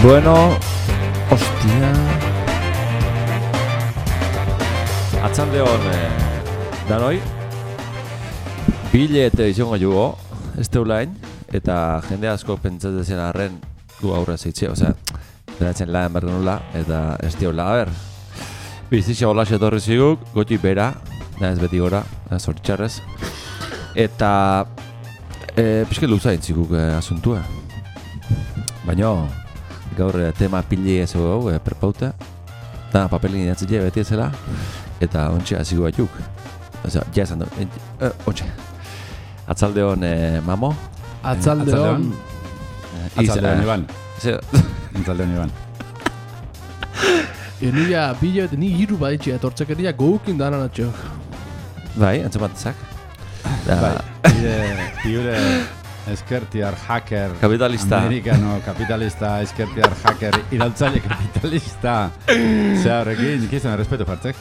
Bueno, hostia. Atzalde hon danoi. Bilete izango jugo, ulain, eta jende asko pentsatzen zen arren gu aurrez eitxe, osea, beratzen lan bergen nula, eta ez diola, a ber. Bizitza hola etorri ziguk, goti bera, ez beti gora, zoritxarrez. Eta pixke luza intzikuk asuntua. Baina gaur tema pili ez hau perpauta, eta papelin inatzile beti ezela, eta ontxe hazigu batzuk. Osea, ja esan du, ontxe. Atzalde hon mamo? Atzalde hon Iban. Atzalde hon Iban. Enia bila eta ni hiru baditxea etortzekeria goukin dana natxok. Bai, antzematezak. Bai, pire eskertiar hacker Kapitalista. Amerikano kapitalista, eskertiar hacker irautzaile kapitalista. Zea horrekin, ikizan respeto fartzek.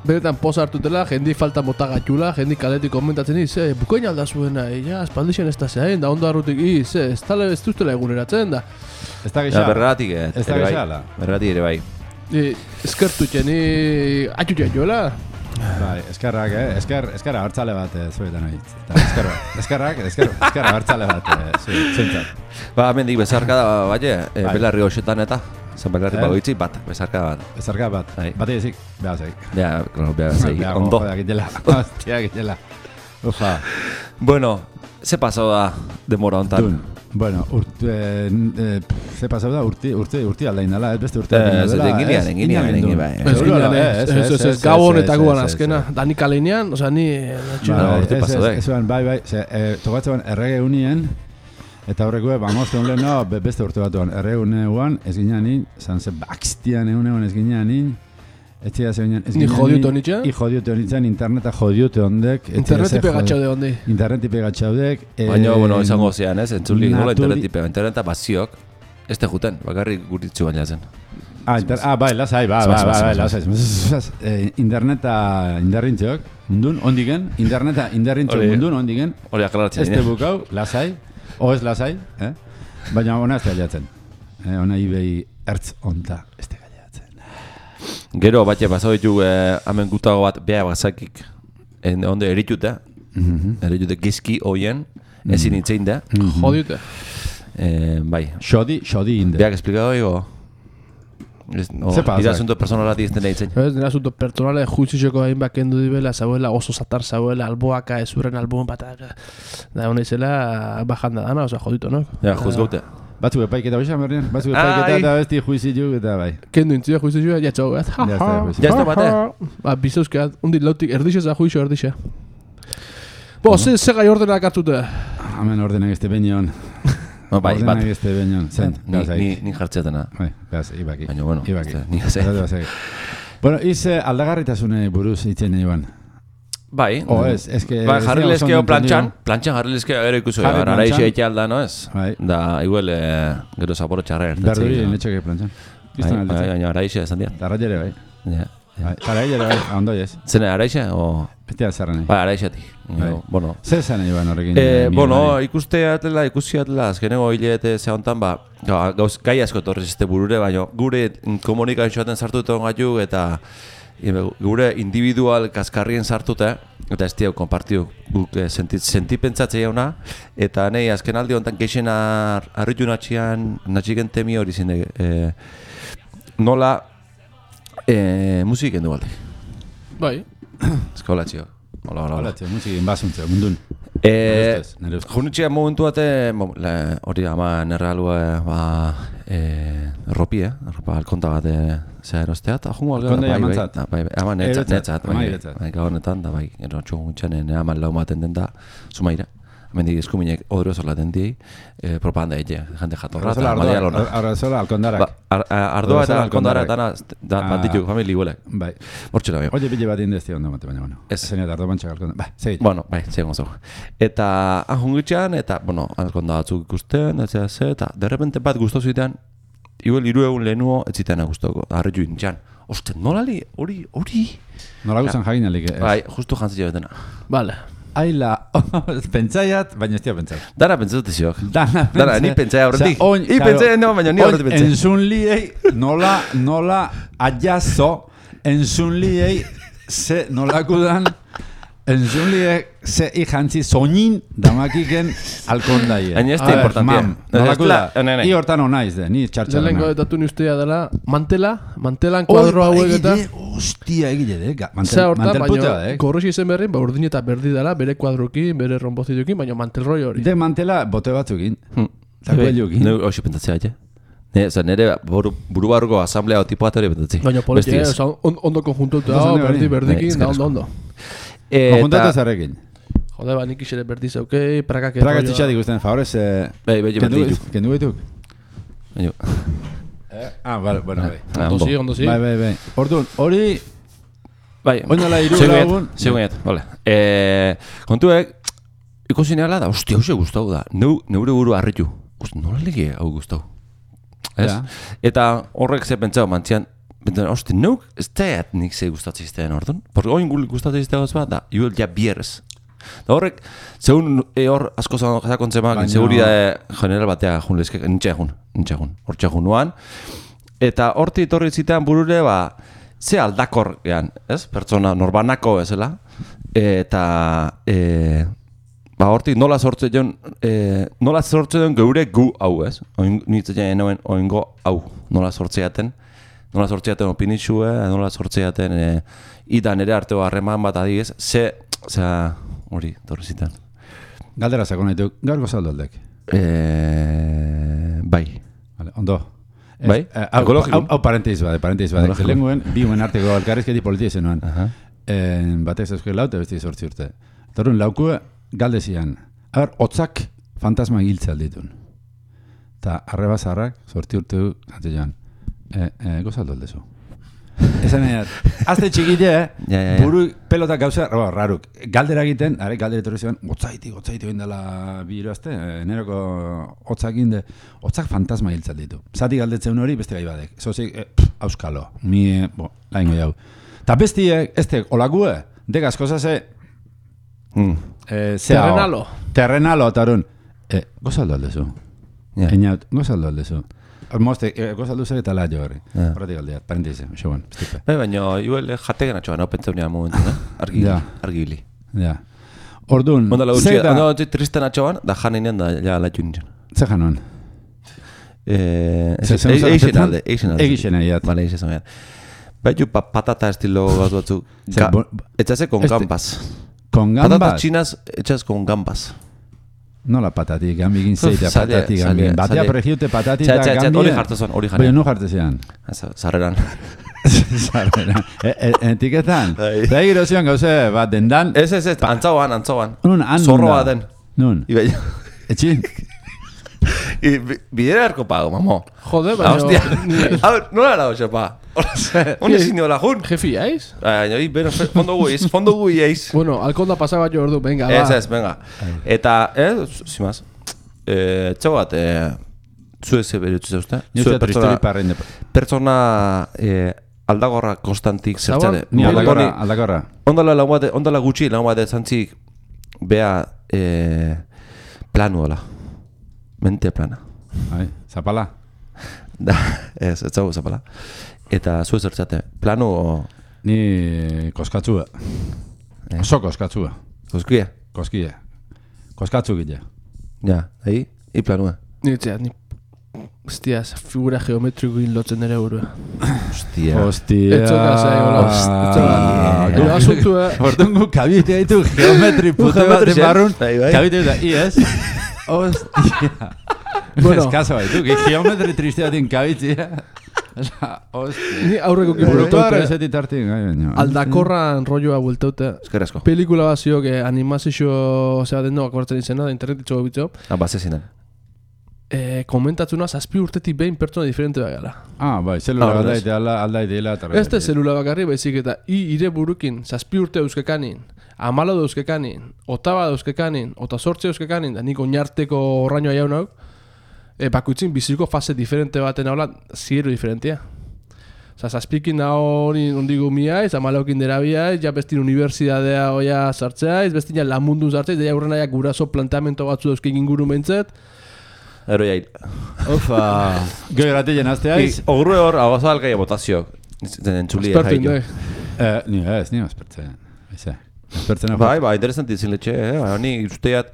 Benetan poza hartutela, jendi falta mota gatxula, jendi kaletik komentatzen bukoin alda zuena, espaldixen ez da zehain, da ondo arrutik, ez duztela eguneratzen da. Ez da gexala. Berratik Ez da gexala. Berratik ere bai. Eskertutxen, atxutxean joela. Bai, eskerra hartzale bat zuetan hori. Eskerra hartzale bat zuentzat. Ba, mendik bezarka da, belarri hoxetan eta zan belarri bagoitzi bat, bezarka bat. Bezarka bat, bat egizik, behazek. Behazek, ondo. Hostia, gitela. Ufa. Bueno, ze pasau da demora hontan? Bueno, ze pasau da urti aldain dela, ez beste urte aldain dela. Enginean, bai. Ez gabon eta guan azkena. Da nik aleinean, oza, ni... Urte pasau da. Bai, tokatzen errege unien, eta horreko, bamoste honlen, beste urte batuan, errege unean, ez ginean nin, zan ze bakstian egunean ez ginean nin, etxea zegoen ez ginean nin. Ni jodiute honitxan? I jodiute honitxan, interneta jodiute hondek. Internetipe gatxaude hondi. Internetipe gatxaudek. Baina, bueno, izango zean, ez? Entzuli nola internetipe, interneta baziok, ez te juten, bakarrik guritzu baina zen. Bai, lasai, lasai. Interneta indarrintxok, mundun, ondigen, interneta indarrintxok mundun, ondigen. Hori aklaratzen. Ez te bukau, lasai, o ez lasai, baina ona ez te gaiatzen. Ona ibei ertz onta ez te gaiatzen. Gero, batxe, pasau ditu hamen gutago bat beha bazakik, onde eritute, eritute gizki hoien, ezin itzein da. Jodiute. Bai. Xodi inde. Beak esplikado ego? Ira asunto personalati izten da itzein. Ez, nire asunto personale juizizeko hain bakendu dibela, zauela, oso zatar zauela, alboaka, ezurren albuen bat, da hona izela bajanda dana, oza, jodito, no? Ja, juzgaute. Batzuk epaiketa hoxan berrien, batzuk epaiketa eta besti juizitu eta bai. Kendu intzia juizizua, jatxau bat. Jazta bate? Ba, bizauzkeat, undi lautik erdixe za juizio erdixe. Bo, ze gai ordenak hartute? Hemen ordenak este benion. Bai, bat. Ordenak este benion, zen. Ni jartzeatena. Bai, gaz, ibaki. Baina, bueno, ni gazai. Bueno, ize aldagarritasune buruz itzen Iban. Bai. O ez que... Bai, jarrilezkeo plantxan jarrilezkeo gero ikuso jo, araixe eitea alda, no ez? Da, igual, gero zaporo txarra ertatzei. Berduri, netxoke plantxan. Baina araixe esan dira. Arraiere bai. Arraiere bai, ondo ez. Zene araixe, o... Betea zerren. Bai, araixetik. Bueno. Zer zen Iban horrekin? Bueno, ikusi atela, azkeneko hilete ze hontan, gauz gai asko torrez este burure, baina gure komunikazioaten sartuta gaitu eta gure individual kaskarrien sartuta, eta ez diau konpartiu guk sentipentzatzea jauna, eta nahi azken aldi honetan geixen harritu natxiken temi hori zine, nola musiken du balde. Bai. Eskolatxio. Hola. Musikin basuntzeo, mundun. Junitxea momentu bate, hori ama nerra alua, erropi, erropa alkonta bat zea erostea, eta jungo algara. Konda jamantzat? Bai, ama netzat, bai, gahonetan, da bai, gero txungun ama lau maten den da, sumaira. Mendik eskuminek odro zolaten diei, propaganda ege, jante jatorra eta madia lona. Arrazola alkondarak. Ardoa eta alkondara eta bat dituk, famili guelek. Bai. Hortxela bio. Oie bile bat indezti ondo mate, baina, bueno. Ez. Zeneat ardo bantxak alkondara. Bai, segit. Bueno, bai, segun zo. Eta ahungitxean, eta, bueno, alkonda batzuk ikusten, eta derrepente bat guztu zitean, igual 3 egun lehenuo ez zitean guztoko, harritu intxan. Oste, nolali, hori. Nola guztan jagin alik. Bai, justu jantzio betena. Vale. aila, pentsaiat, baina ez tia pentsai. Dara pentsatu ziok. Dara, ni pentsai aurretik. Ni pentsai no, baina ni aurretik pentsai. Entzun liei, nola ajazo, entzun liei, ze nolakudan, entzun liei, ze ikantzi soñin damakiken alkondaie. Hain ez da importantia. Nolakuda, i hortan honaiz de, ni txartxarana. Lehenko datu ni ustea dela, mantelan kuadro hauek eta... Hostia, egile de, Zea hortan, mantel puta, baina gorrosi izen berrin, urdin eta berdi dela, bere kuadrokin, bere rombozitukin, baina mantelroi hori. De mantela bote batzukin, takueliokin. Ne hoxe pentsatzea, nire buru barruko asamblea tipo bat hori pentsatzi. Baina politia, ondo konjuntuta, berdikin, da ondo. Konjuntatu zarrekin. Jode, nik isere berdi zeukei, prakak Praga txitxatik guztien, favorez, kendu behituk. Vale, bueno, bai. Ondo zi. Bai. Orduan, hori... Bai, oindala iru lagun... Segunet, vale. Kontuek, ikusi nehala da, hostia, hause guztau da. Neure buru harritu. Nola lege hau guztau? Ez? Eta horrek ze pentsau mantzian, hosti, neuk ez teat nik ze gustatziztean orduan. Porque oin gustatziztean bat da, juel ja bierrez. Da horrek, zeun hor asko zakontzemak, seguridade general batea jun lezke, nintxe jun nuan. Eta horti etorri zitean burure, ze aldakor gehan, ez? Pertsona norbanako ezela. Eta, horti nola sortze den geure gu hau, ez? Nintzen enoen oingo hau, nola sortzeaten opinitxue, nola sortzeaten idan ere arteo harreman bat adiez, hori, torri zitan. Galdera zako nahi duk, gaur gozaldo aldek? Bai. Vale, ondo. Bai? Hau parenteiz bade. Zelenguen, bi uen arteko alkarrizketi politia zenuen. Batek zeuske laute, besti sortzi urte. Torun, laukue galdezian. Hotzak fantasma giltze alditun. Ta arrebazarrak, sorti urte du, zante joan. Gozaldo aldezu. Esan edat, azte txikite, buru pelota gauza, raruk, galdera egiten, galdera etorri ziren, gotzaiti oindela bi hiruazte, neroko hotzak inde, hotzak fantasma hiltzat ditu. Zati galdetzen hori beste gai badek, zozik, auskalo, laingo jau. Ta bestiek, olakue, degaz kozase, terrenalo, eta horren, gozaldo aldezu. Einaut, gozaldo aldezu. Moste, gozaldu zer eta laio horri. Horretik aldeat, parenteize, xegoan, estipe. Baina, juel jategen atxoan, hau pentsaunean momentu, argi bili. Ja. Orduan, Ondo tristen atxoan, da janinean da ja laitu nintzen. Ze januan? Eixen alde. Egixen aiat. Bale, eixen aiat. Baitu patata estilo bat batzu. Etxase con gambas. Con gambas? Patatas chinas etxas con gambas. Nola patatik, gambigin zeitea, patatik gambigin. Batea pregiute patatik da gambigin. Hori jartezan, hori jartezan. Baina nu jartezean. Zarreran. Zarreran. Etiketan? Da egiro zion gauze bat dendan. Ez, antzauan. Nun, han zorro bat den. Nun. Etxin. Bidera erko pago, mamo. Jode, baina... Nola era hoxe, pa? Hone zinio la jun. Jefi, aiz? Bueno, fondo gui eiz. Bueno, alkonda pasaba jo ordu, venga, ba. Ez, venga. Eta, zimaz, txau bat, zu eze berutzu zeuzte? Pertsona aldagorra konstantik zertzare. Ni aldagorra. Ondala gutxi, lagun bat zantzik, bea planu dola. Mente plana. Zapala? Da, ez zago zapala. Eta zu zertzate, planu o... Ni koskatzua. Oso koskatzua. Koskia? Koskia. Koskatzu gile. Ja, ahi, i planua. Niretzea, ni... Hostia, figura geometrikoin lotzen ere burua. Hostia. Etxoka zaigola. Etxoka. Asuntu, Hortungu kabite ditu geometri pute bat den barrun. Kabite ditu, iez. Hostia. Bueno. Eskazo baitu, geometri tristeatin kabitzia. Ni aurreko kiburutote. Aldakorran rolloa bueltaute. Eskerrezko. Pelikula bat ziok animazio zeba den doak akortzen izena, da internetitxo bitzo. Bazezinan. Komentatzuna 7 urtetik behin pertsona diferente da gala. Bai, zelula aldaideela. Ez da zelula bakarri baizik eta ire burukin 7 urte euskekanin, 14 euskekanin, 8 euskekanin, 18 euskekanin, da nik oinarteko horrainoa jaunak, bakuitzin biziko fase diferente baten haula, ziero diferentia. Osa, zazpikin hori ondigu miaiz, amalaukin dera biaiz, ja bestin unibertsidadea oia sartzeaiz, bestin ja lamundun sartzeaiz, ja aurrena ja guraso planteamento batzu dauzkeik inguru mentzet. Ero jail. Ufa, goi gratilen azteaiz. Ogru hor, agoza algai botazio. Entzuli Espertu indoi. Ni espertzen. Espertzen hau. Bai, interesanti zinletxe, ni usteat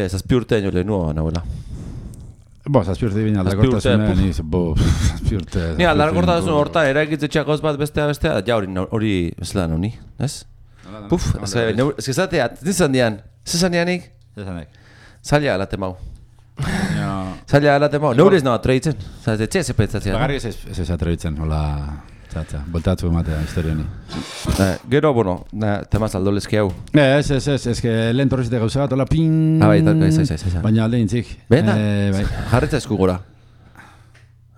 zazpi urte nio lehenua nahuela. Zazpi urte bine aldakortasunen, zazpi urte. Ni aldakortasun hortan, eraikitze txakoz bat bestea, ja hori bezala noni, ez? Puf, ez zateat, zizan dianik? Zaila alate mau. Zaila alate mau, neurez nahi atreitzen. Zatea zepetzatzea. Bagarri ez atreitzen, hola, voltatzu ematea historioni. Gero, bueno, temaz aldolezki hau. Ez, que lehen torrizite gauza bat, hola, ping. Bai, ez. Baina alde intzik. Bena, jarritza esku gora.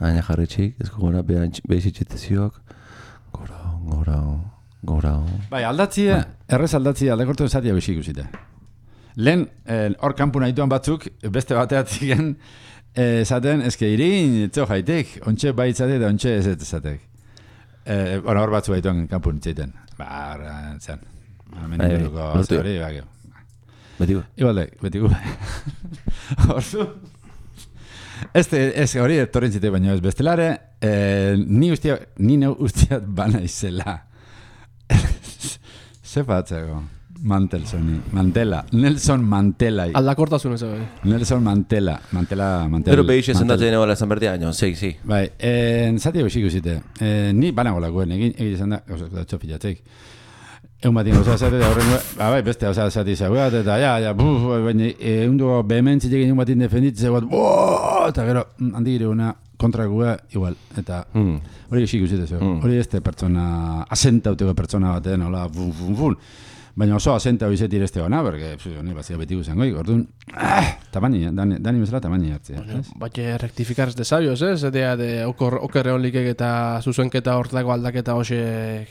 Baina jarritxik, esku gora, behizitxetezioak. Gora. Bai, aldatzia, errez aldatzia, aldakortu esatia bexik usite. Lehen, hor kanpu nahituan batzuk, beste bateatziken, esaten, eske irin, etzo jaitek, ontxe baitzate eta ontxe ez ezatek. Hor batzu baituan kanpu nitzeiten. Zan. Menituko hori, bakio. Betigu. Betigu. Horzu. Ez hori etorren zite baino ez bestelare, ni neu ustiat bana izela. Ze batzeko. Nelson Mandela. Aldakortasun ez bai. Nelson Mandela. Pero behixe zendatzen egola esan berdia, sí. Bai, zati besik usite. Ni banagolakoen, egin izan da, gauzak txofilatzeik. Egun batien gauza zate, bai, beste gauza zati zaugat, eta baina egun dugu behementzik egin egun batien defenditze bat, eta gero, handi gire una kontrakua igual, eta hori besik usite zeu. Hori este pertsona, asentauteko pertsona baten, hola, baina oso asenta hoizet ireste gana, berke, honi bazia beti guzan goi, orduan, tamani, dani bezala tamani hartzea. Baina rectifikar ez de sabios, ez? Etea de okerre holikek eta zuzenketa hortako aldaketa hoxek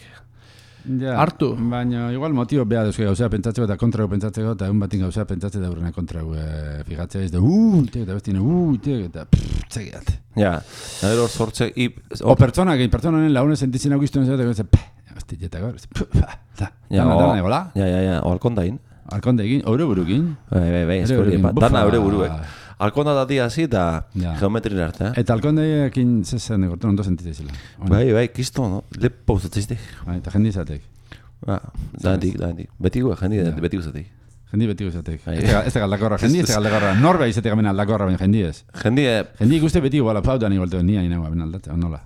hartu. Baina igual motibo beha duzke gauzea pentsatzeko eta kontrago pentsatzeko, eta egun batin gauzea pentsatzeko eta horrena kontrago fijatzea ez da, eta bestine, eta txegiat. Ja, nire hor sortze, o pertsona honen laune sentitzen augiztuen zera, eta hostia, gaur, o alkondain. Alkondain, eure burukin. Bai, eskori, dana eure buruek. Alkonda dati hasi eta geometrin arte. Eta alkondainekin zezen egortu ondo sentitzen zila. Bai, kisto, no? Lepo uzatziztek. Bai, eta jendi izatek. Danik. Betiko, jendi betiko izatek. Jendi betiko izatek. Ez da galdakorra, jendi ez da galdakorra. Norbea izatek amena aldakorra, baina jendi ez. Jendi ikuste betiko, bala, flautan igualteo, nia inagoa, ben aldatzea, nola.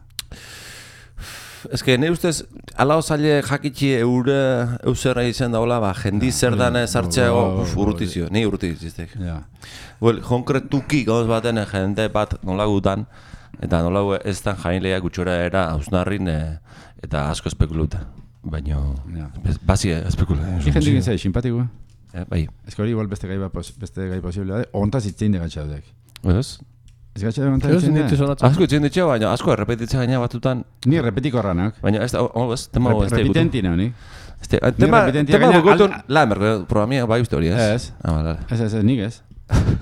Ez que ne ustez, ala osaile jakitxi eusera izan daula, jendi zer dana sartzeago urrutizio, ni urrutiziztek. Konkretuki gauz baten jende bat nola gutan, eta nola ez dan jainleia gutxora era hausnarrin eta asko espekuluta. Baina, basi espekuluta. Jendik izai, simpatikoa? Bai. Ez que hori igual beste gai posible da, ontaz itzein de gatxaudek. Ez? Ez gatxa egon tatzen da? Asko itzen ditxeo, baina asko errepetitzea gaina batutan. Ni errepetiko erranak. Baina ez da, tema hau ez da igutu. Repitentina, honi? Tema gutun, lamer, programia bai uste hori, ez? Ez, nik ez.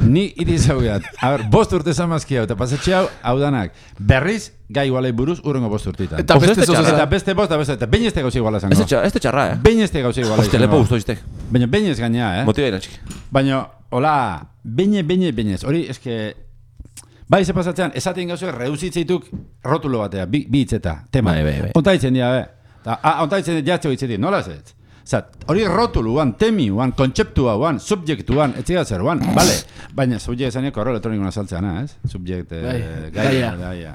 Ni iriz hau gehat. A ber, 5 urte zamazki hau, eta pasatxe hau danak. Berriz, gai igualei buruz, urrengo 5 urteetan. Eta beste bost, eta behin ez te gauza iguala zango. Ez te txarra, Behin ez te gauza iguala zango. Oste, lepo guztu iztek. Baina behin ez gaina, Motiva iratxik. Baina, hola, behin ez. Hori, eske... Bai, ze pasatzean, esaten gauzo reduzitzeituk rotulo batea, bi hitzeta, tema. Bai. Onta hitzen dira, onta hitzen dira jatxo hitzetik, nola zet? Hori rotuluan, temiuan, kontzeptuan, subjektuan, etziga zeruan, bale. Baina, subjekt esanek korro elektronikuna saltzeana, ez? Subjekt, gaia.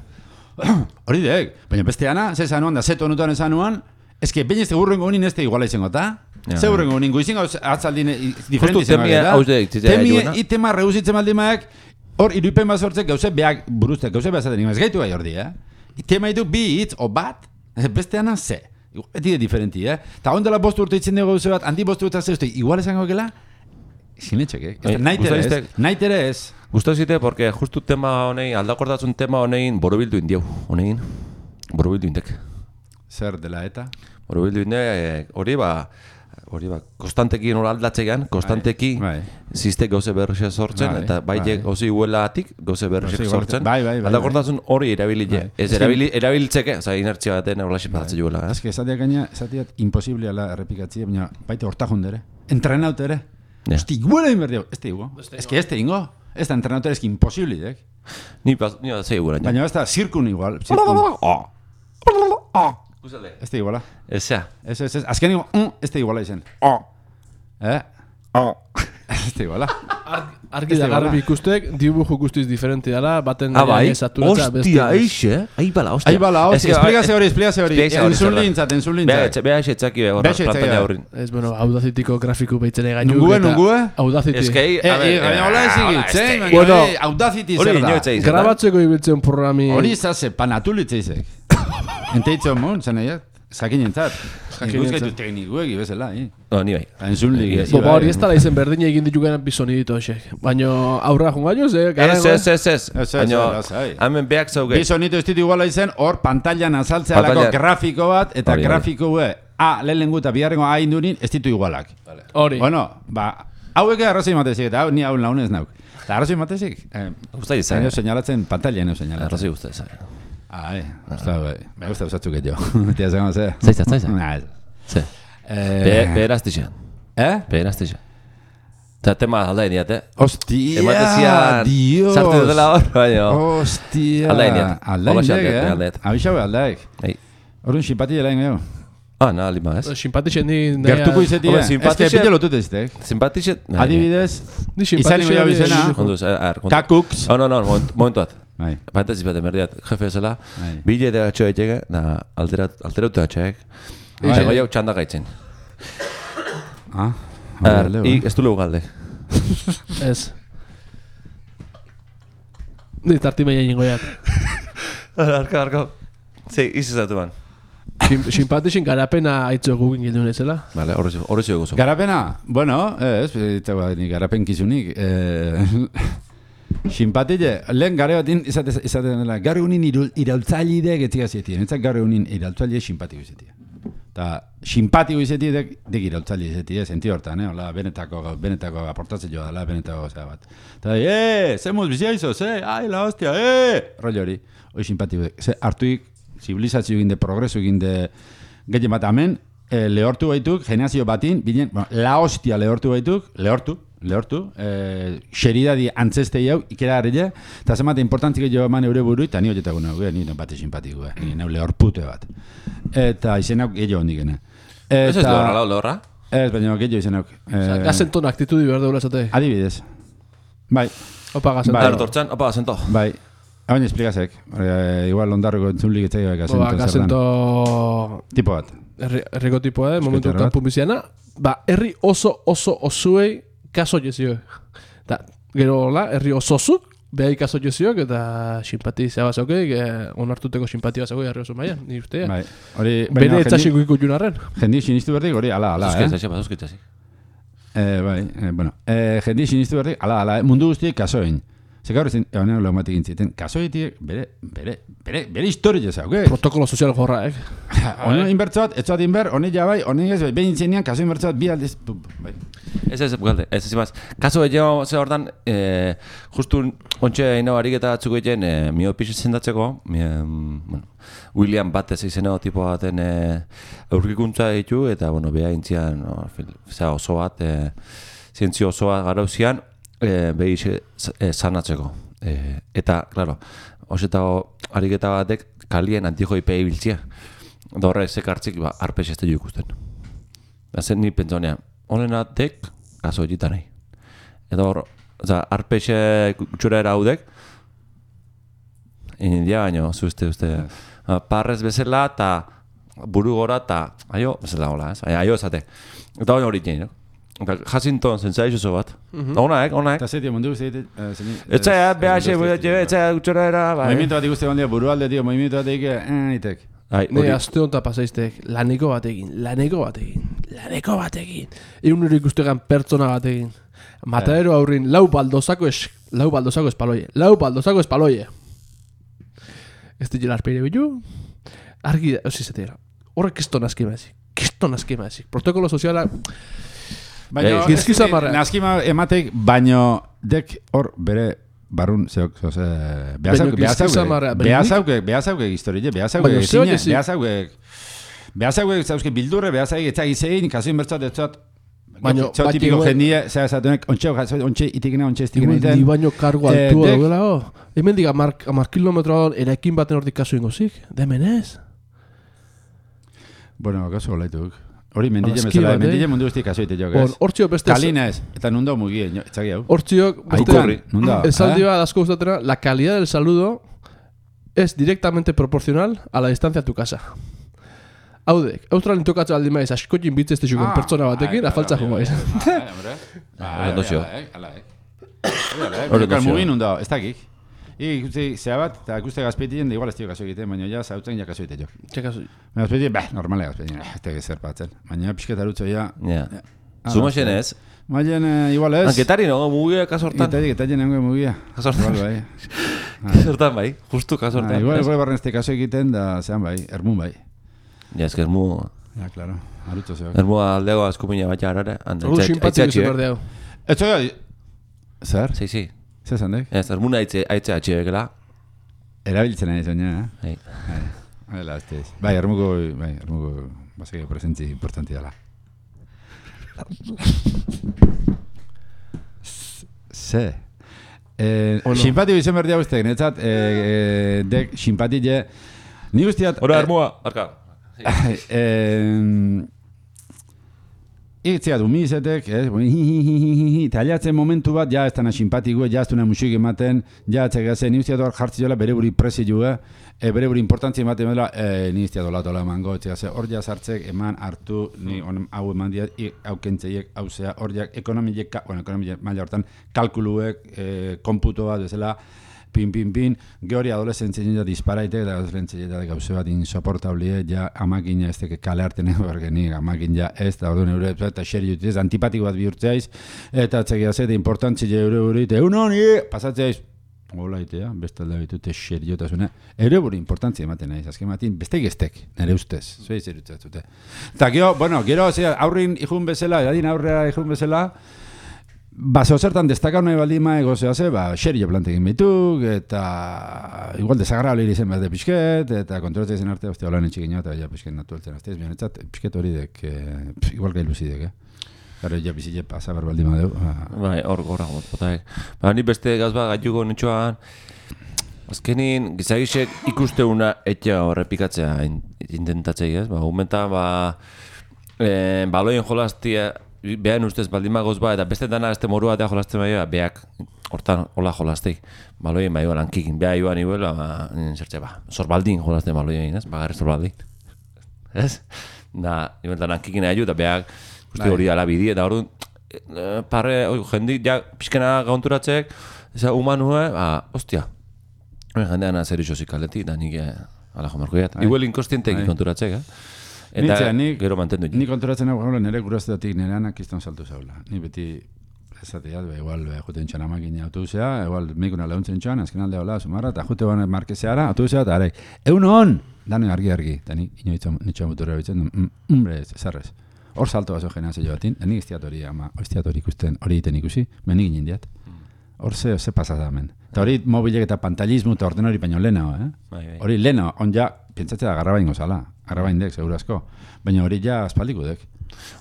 Hori dek, baina beste ana, ze zanuan da, zeto honutan esanuan, eske, baina ez tegurrengo honin ez te iguala izango, eta? Ze hurrengo honin, goizin gauz atzaldin diferenti izango, eta? Temia, itema reduzitzen maldimaek, hor, iruipen bat sortzek gauze beak buruztek, gauze behar zaten, ez gaitu gai hor di, Tema ditu bi hitz, o bat, beste ana ze. Eti de diferenti, Ta ondela 5 urte itzen dugu gauze bat, handi 5 urte zehuzte, igual esango gela, sinetxek, Naitere ez. Gustau zite, porque justu tema honei, aldakortatzun tema honein, borobildu indiau, honein. Borobildu indek. Zer dela eta? Borobildu indek, hori hori konstanteki nola aldatzean, konstanteki ziste gauze berriak sortzen, eta baitek osi huelatik gauze berriak sortzen. Aldakortasun hori erabilile. Ez erabiltzeke, oza, inertzia baten horlaxe patatzen juela. Ez que esatiak imposible ala errepikatzea, baina baita hortajun dere. Entrenaut ere. Hosti, guela inberdio. Ez que ingo. Ez da entrenaut ere, ez que imposible, dek. Ni da zei guela. Baina ez da, zirkun igual. Ez da iguala. Ez. Azken igual, ez da iguala izen. Ez da iguala. Argi da garbi ikustek, dibujo guztiz diferente dala, baten esaturatza beste. Hostia, eixe, aibala, hostia. Aibala, hostia, espliazio hori. Enzun lintzat. Beha etxetzaki horra pantalla horrin. Ez, bueno, Audacity-ko grafiku beitzen egainu. Nungue? Audacity. Ez que, hola ezigitzen, Audacity zer da. Grabatzeko ibiltzen programi. Hori izaz, panatulitzeizek. Enteitzen mon, zen egiat. Zakin entzat. Guzkaitu teknikuek ibezela, ni bai. Enzun ligi. Hori ez tala izen berdin egin ditugenan bizonidito esek. Baina aurra jungaino, ze? Ez. Baina, hemen behak zauge. Bizonito ez ditu iguala izen, hor pantailan azaltzea lako grafiko bat, eta grafiko lehenengu eta biharrengo indunin ez ditu igualak. Hori. Bueno, hauek arrazoi matezik, eta ni hau launez nauk. Eta arrazoi matezik? Guztai izan. Señalatzen, pantailan señalatzen. Arrazoi guztai izan. Me gusta usatzuk gehiago. Tia zegoen, ze? Zaitza. Ze. Beheraztixan. Beheraztixan. Eta tema aldain diat, Hostia, Dios. Sartu dutela hor, baina. Hostia. Aldain diat. Abixaue aldaik. Horren simpati dela ingo. Naha lima ez. Simpatixen di... Gertuko izeti, ez que pite lotut eztek. Simpatixen... Adibidez, izan ingo jau izena. Kakuks. No, momentu bat. Baita zizbate merdiat, jefe ezela. Bile eta gatxoa etxega, alterautu gatxoak. Gai hau txanda gaitzen. Ez du legu galde. Ez. Ni tartimeia ingoiak. Arka. Zei, izizatu ban. Simpatixen garapena aitzo gugin gildun ezela. Vale, horre zio gozo. Garapena? Bueno, ni garapen kizunik. Simpatile, lehen gare batin izaten dela, gare unin iraultzaileak etziga zetien. Etzak gare unin iraultzaile simpatiko izetia. Eta simpatiko izetia dek iraultzaile izetia, senti hortan, hola, benetako aportatzen joa dela, benetako zera bat. Eta, zemuz bizia izo, la hostia, rollo hori. Hoi simpatiko dek, hartuik, zibilizazio egin de, progreso egin de, gehien bat amen, lehortu baituk, generazio batin, binen, la hostia lehortu baituk, lehortu, xeridadi antzestei hau, ikera harrile, eta zemate importantzik jo eman eure buru, eta ni horietako nago, ni bate simpatiko, ni nau lehorpute bat. Eta izenak gehiago hondik gene. Ez lehorra? Ez, baina gehiago izenak. Gazenton aktitudi behar deula esate. Adibidez. Bai. Opa gazento. Artortzan, opa gazento. Bai. Hau baina esplikazek. Igual ondarroko entzunlik etzai gazento. Gazento... Tipo bat. Herriko tipoa, momentu kanpun biziana. Herri osoei kaso jezio. Gero hola, herri osozuk, behai kaso jeziok, eta simpatizia bazaukei, onartuteko simpatia bazaukei herri oso maian, ni ustea. Bai. Bene etxasiko ikut junarren. Jendi sinistu berdik, hori, ala. Zuzkitzasi. Jendi sinistu berdik, ala, mundu guztiek kasoen. Zekaur ezin, ebanean lehematik intziten, kasoetiek bere historia zauke. Protokolo sozial jorra, Hone inbertzo bat, etxoat inber, hone jabai, hone ez, behin intzenean, kaso inbertzo bat, bi aldiz, bai. Ez, galde, ez ezimaz. Kaso egeo, ze hortan, justu ontxe ino ariketa batzuko egin, mio pixi zendatzeko, William Bates izena tipo baten aurkikuntza ditu, eta, beha intzian, oso bat, zientzio oso bat garauzian, behi sanatzeko. Eta, klaro, osetago ariketa batek kalien antijoipea ibiltzia. Da horre, zekartzik, arpez ez teio ikusten. Zer ni pentsonean, honenatek, kaso egitan nahi. Eta hor, arpez gutxura eraudek, inindia baino, zuzte, parrez bezala, eta buru gora, eta aio, bezala gola, aio ezate. Eta hori jein, Jacinton zentzaiz oso bat. Onaek. Eta zetia mundu guzti Etzea, BH, etzea gutxora era. Movimiento bat ikuste bandia, burualde, tío, movimiento bat itek. Ne, azte honta pasaiztek, laneko batekin. Egun nire ikustegan pertsona batekin. Matadero aurrin, lau baldozako espaloie. Ez ditela arpeire bilu. Argi, ozizatera. Horrek ez tonazki mazik. Kiston askima ezik. Protokolo soziala... Baina, naskima emateik, baino dek hor bere barrun zeok, behazauke historie, behazauke zauzke bildurre, behazauke etzak izein, kasuin bertzat etzat, típico jendie, zera zatunek, ontxe itikina, ontxe estikina iten. Ni baino kargo altua duela, hemen diga, amar kilometroan erekin baten hortik kasu ingozik, demen ez? Bueno, kasu olaituk. Hori mendile bezala, mendile mundu guztik kaso ite jok, ez? Hortziok beste... Kalinez, eta nundo mugien, etxaki hau. Hortziok beste... Esaldi bat asko gustatera, la calidad del saludo es directamente proporcional a la distancia a tu casa. Haudek, Australien tokatza aldi maiz, askotin bitzezte xukon pertsona batekin, afaltza jo maiz. Hori kalmugin nundo, ez dakik. Ikusi, zea bat, eta ikuste gazpetien, igual ez dio kaso egiten, baina ja zautzen ja kaso egite jo. Txe kaso? Gazpetien, normale gazpetien, ez tege zer patzen. Baina pixket arutzo ja... Zuma xenez? Maien, igual ez. Anketari no, mugia kasortan? Getarien nengo mugia. Kasortan? Kasortan bai, justu kasortan. Igual barren este kaso egiten, da zean bai, ermun bai. Ja, ez que ermu... Ja, claro, arutzo zeok. Ermu aldego askupina bat jarrare. Hor simpatzik izu berdeo. Etxo ja... Zer? Si. Zer zandek? Ez, ermuna aitze atxibekela. Erabiltzen nahi zoina, eh? Hala, ez. Bai, ermuko, baseke presentzi importanti dela. Ze. Simpatio izan berdia guztek, netzat, dek simpatile... Ni guztiat... Hora, ermua, arka. Itzia du mizetek, eta aliatzen momentu bat, ja ez dana simpatiko, ja ez duna musik ematen, ja etxegazen, ni usteat hor jartzi jola bere buri presiu, bere buri importantzia ematen dela, ni usteat olatola emango, etxegazen, hor ja sartzek eman hartu, ni hau eman diat, hau kentzeiek, hau zea, hor ja ekonomiek maila hortan, kalkuluek, komputo bat bezala, pin, geori adolescentzien ja disparaitek, eta adolescentzien ja gauze bat insoportablie, ja amakina ez teke kale harten ego bergeni, amakin ja ez, eta orduan eure, eta xeri jutez, antipatiko bat bihurtzeaiz, eta txekia zete, importantzile eure, egunon, pasatzeaiz, hola itea, bestalda bitute xeri jutasuna, eure buri importantzia ematen nahiz, azken matin, bestek estek, nire ustez, zuei zerutzatute. Eta gero, aurrin ikun bezala, edadin aurrera ikun bezala, zeo zertan destakau nahi baldin maego zehase, xerio plantekin bituk, eta igual desagrable irizen behar de pixket, eta kontrolatzen zen arte, holan etxik ino, eta ja pixket natueltzen aztez, bihonetzat, pixket hori dek, igual gailu zidek, Garo, ja bizile pasa behar baldin madeu. Bai, hor gorra gomot, potaik. Ni beste gazba gaiuko nintxoan, azkenin, gizagisek ikusteuna etxea horrepikatzea intentatzei, ez? Humenta, baloien jolaztia, behan ustez baldin magoz eta beste dana este morua eta jolazten baioa, beak hortan hola jolazteik. Baloien baioa lankikin, beha joan iguela, zertxe zorbaldin jolazten baloien, ez? Bagarri zorbaldin. Ez? Da, igueltan lankikin ahiu, eta beak uste hori alabidi, eta hori parre, jendik, ja, pixkena gaunturatzeek, eza humanue, ostia, jendean zer isozik aleti, da nik ala jomarko jat. Iguel inkostientek konturatzeek, eta gero mantendu. Ni konturatzen hau nire guraztatik nire anak iztan saltu zaula. Ni beti ezateat, igual juten txan amakin autobusea, igual mikuna lehuntzen txan, azken alde hola, sumarra, eta jute ban markezeara, autobusea, eta arek, egun hon! Dano argi, eta ni nitxan muturra bitzen, hombre, zarrez. Hor salto bazo jena zeio batin, nik iztiat hori ikusten, hori egiten ikusi, menik ginen diat. Hor ze pasada hemen. Eta hori mobilek eta pantalismo eta orden hori baino leheno, Hori leheno, on ja, pentsatzea garrabain gozala, garrabain dek, segura asko. Baina hori ja aspaldiko dek.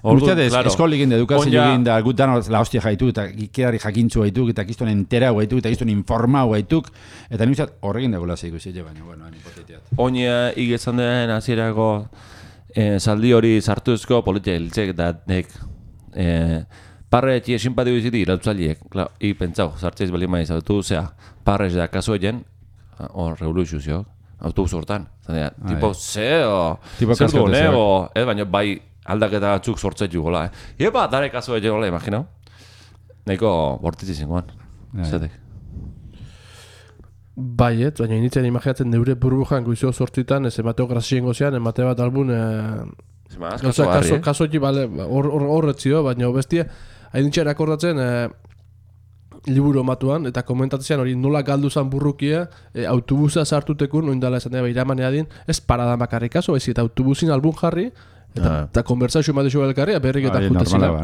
Guztiatez, eskolik inde edukazio egin da, gut dano la hostia jaitu, eta ikedari jakintzu gaituk, eta giztuen entera gaituk, eta giztuen informau gaituk, eta nintzat horrekin degula zeiko zile, baina, bueno, hipotetiat. Oina igezan den azierako saldi hori sartuzko politia hiltzek, eta parre etxie simpatiko iziti irautzaliek, ik pentsau, sartzeiz bali maiz autobusea, parre da kaso egen, hor revoluzio, autobus hortan. Tipo, zer du honego, baina bai aldaketa batzuk sortzetu gola. Epa, dare kaso egen gola, imaginau? Nahiko bortitzi zingoan, zetek. Baiet, baina initzen imaginatzen neure burbujan goizio sortitan, ez emateo grazien gozean, emate bat albun... Kaso egi, horretzio, baina bestia, hain nintzen akordatzen liburu matuan, eta komentatzen hori nola galdu zan burrukia, autobusa sartutekun, oindala esan dira iramanea din, ez parada makarrik kaso, ez eta autobusin albun jarri, Eta konversazio ematen zuen elkarria, berrik eta jutezina.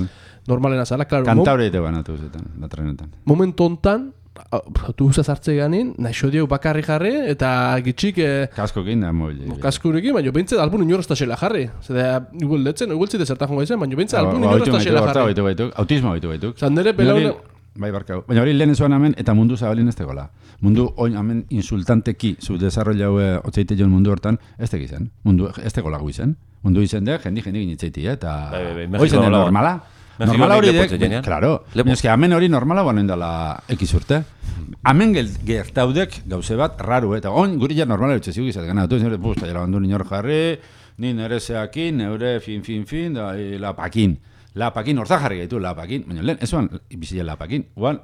Normalena zala, klaro. Kantaure ite ban autobusetan, da trenetan. Momentu hontan, autobusa sartze ganin, naixo dieu bakarri jarri, eta gitxik... Kaskokin da mobil. Kaskurekin, baina bintzat albun inorrezta xela jarri. Zeda, igualtzite zertan jongo izan, baina bintzat albun inorrezta xela jarri. Autismo baitu. Zandere pelaune... Bai, barkau. Baina hori lehen zuan hemen, eta mundu zabalin ez tegola. Mundu oin hemen insultanteki, zu desarrolla haue otzeite joan mundu hortan, ez teki zen. Mundu ez tegola gu izan. Mundu izan dek, jendi ginitzeiti, eta... Hoi zen normala. Normala hori dek, claro. Ez que hemen hori normala banen dela ekiz urte. Hemen gertaudek gauze bat raru, eta oin guri ja normala dutxe ziuk izat gana. Nire, busta, jala bandu ninor jarri, ni nire zeakin, neure fin, da, lapakin. Lapakin, horza jarri gaitu, lapakin. Baina lehen, ez oan, bizile lapakin. Oan,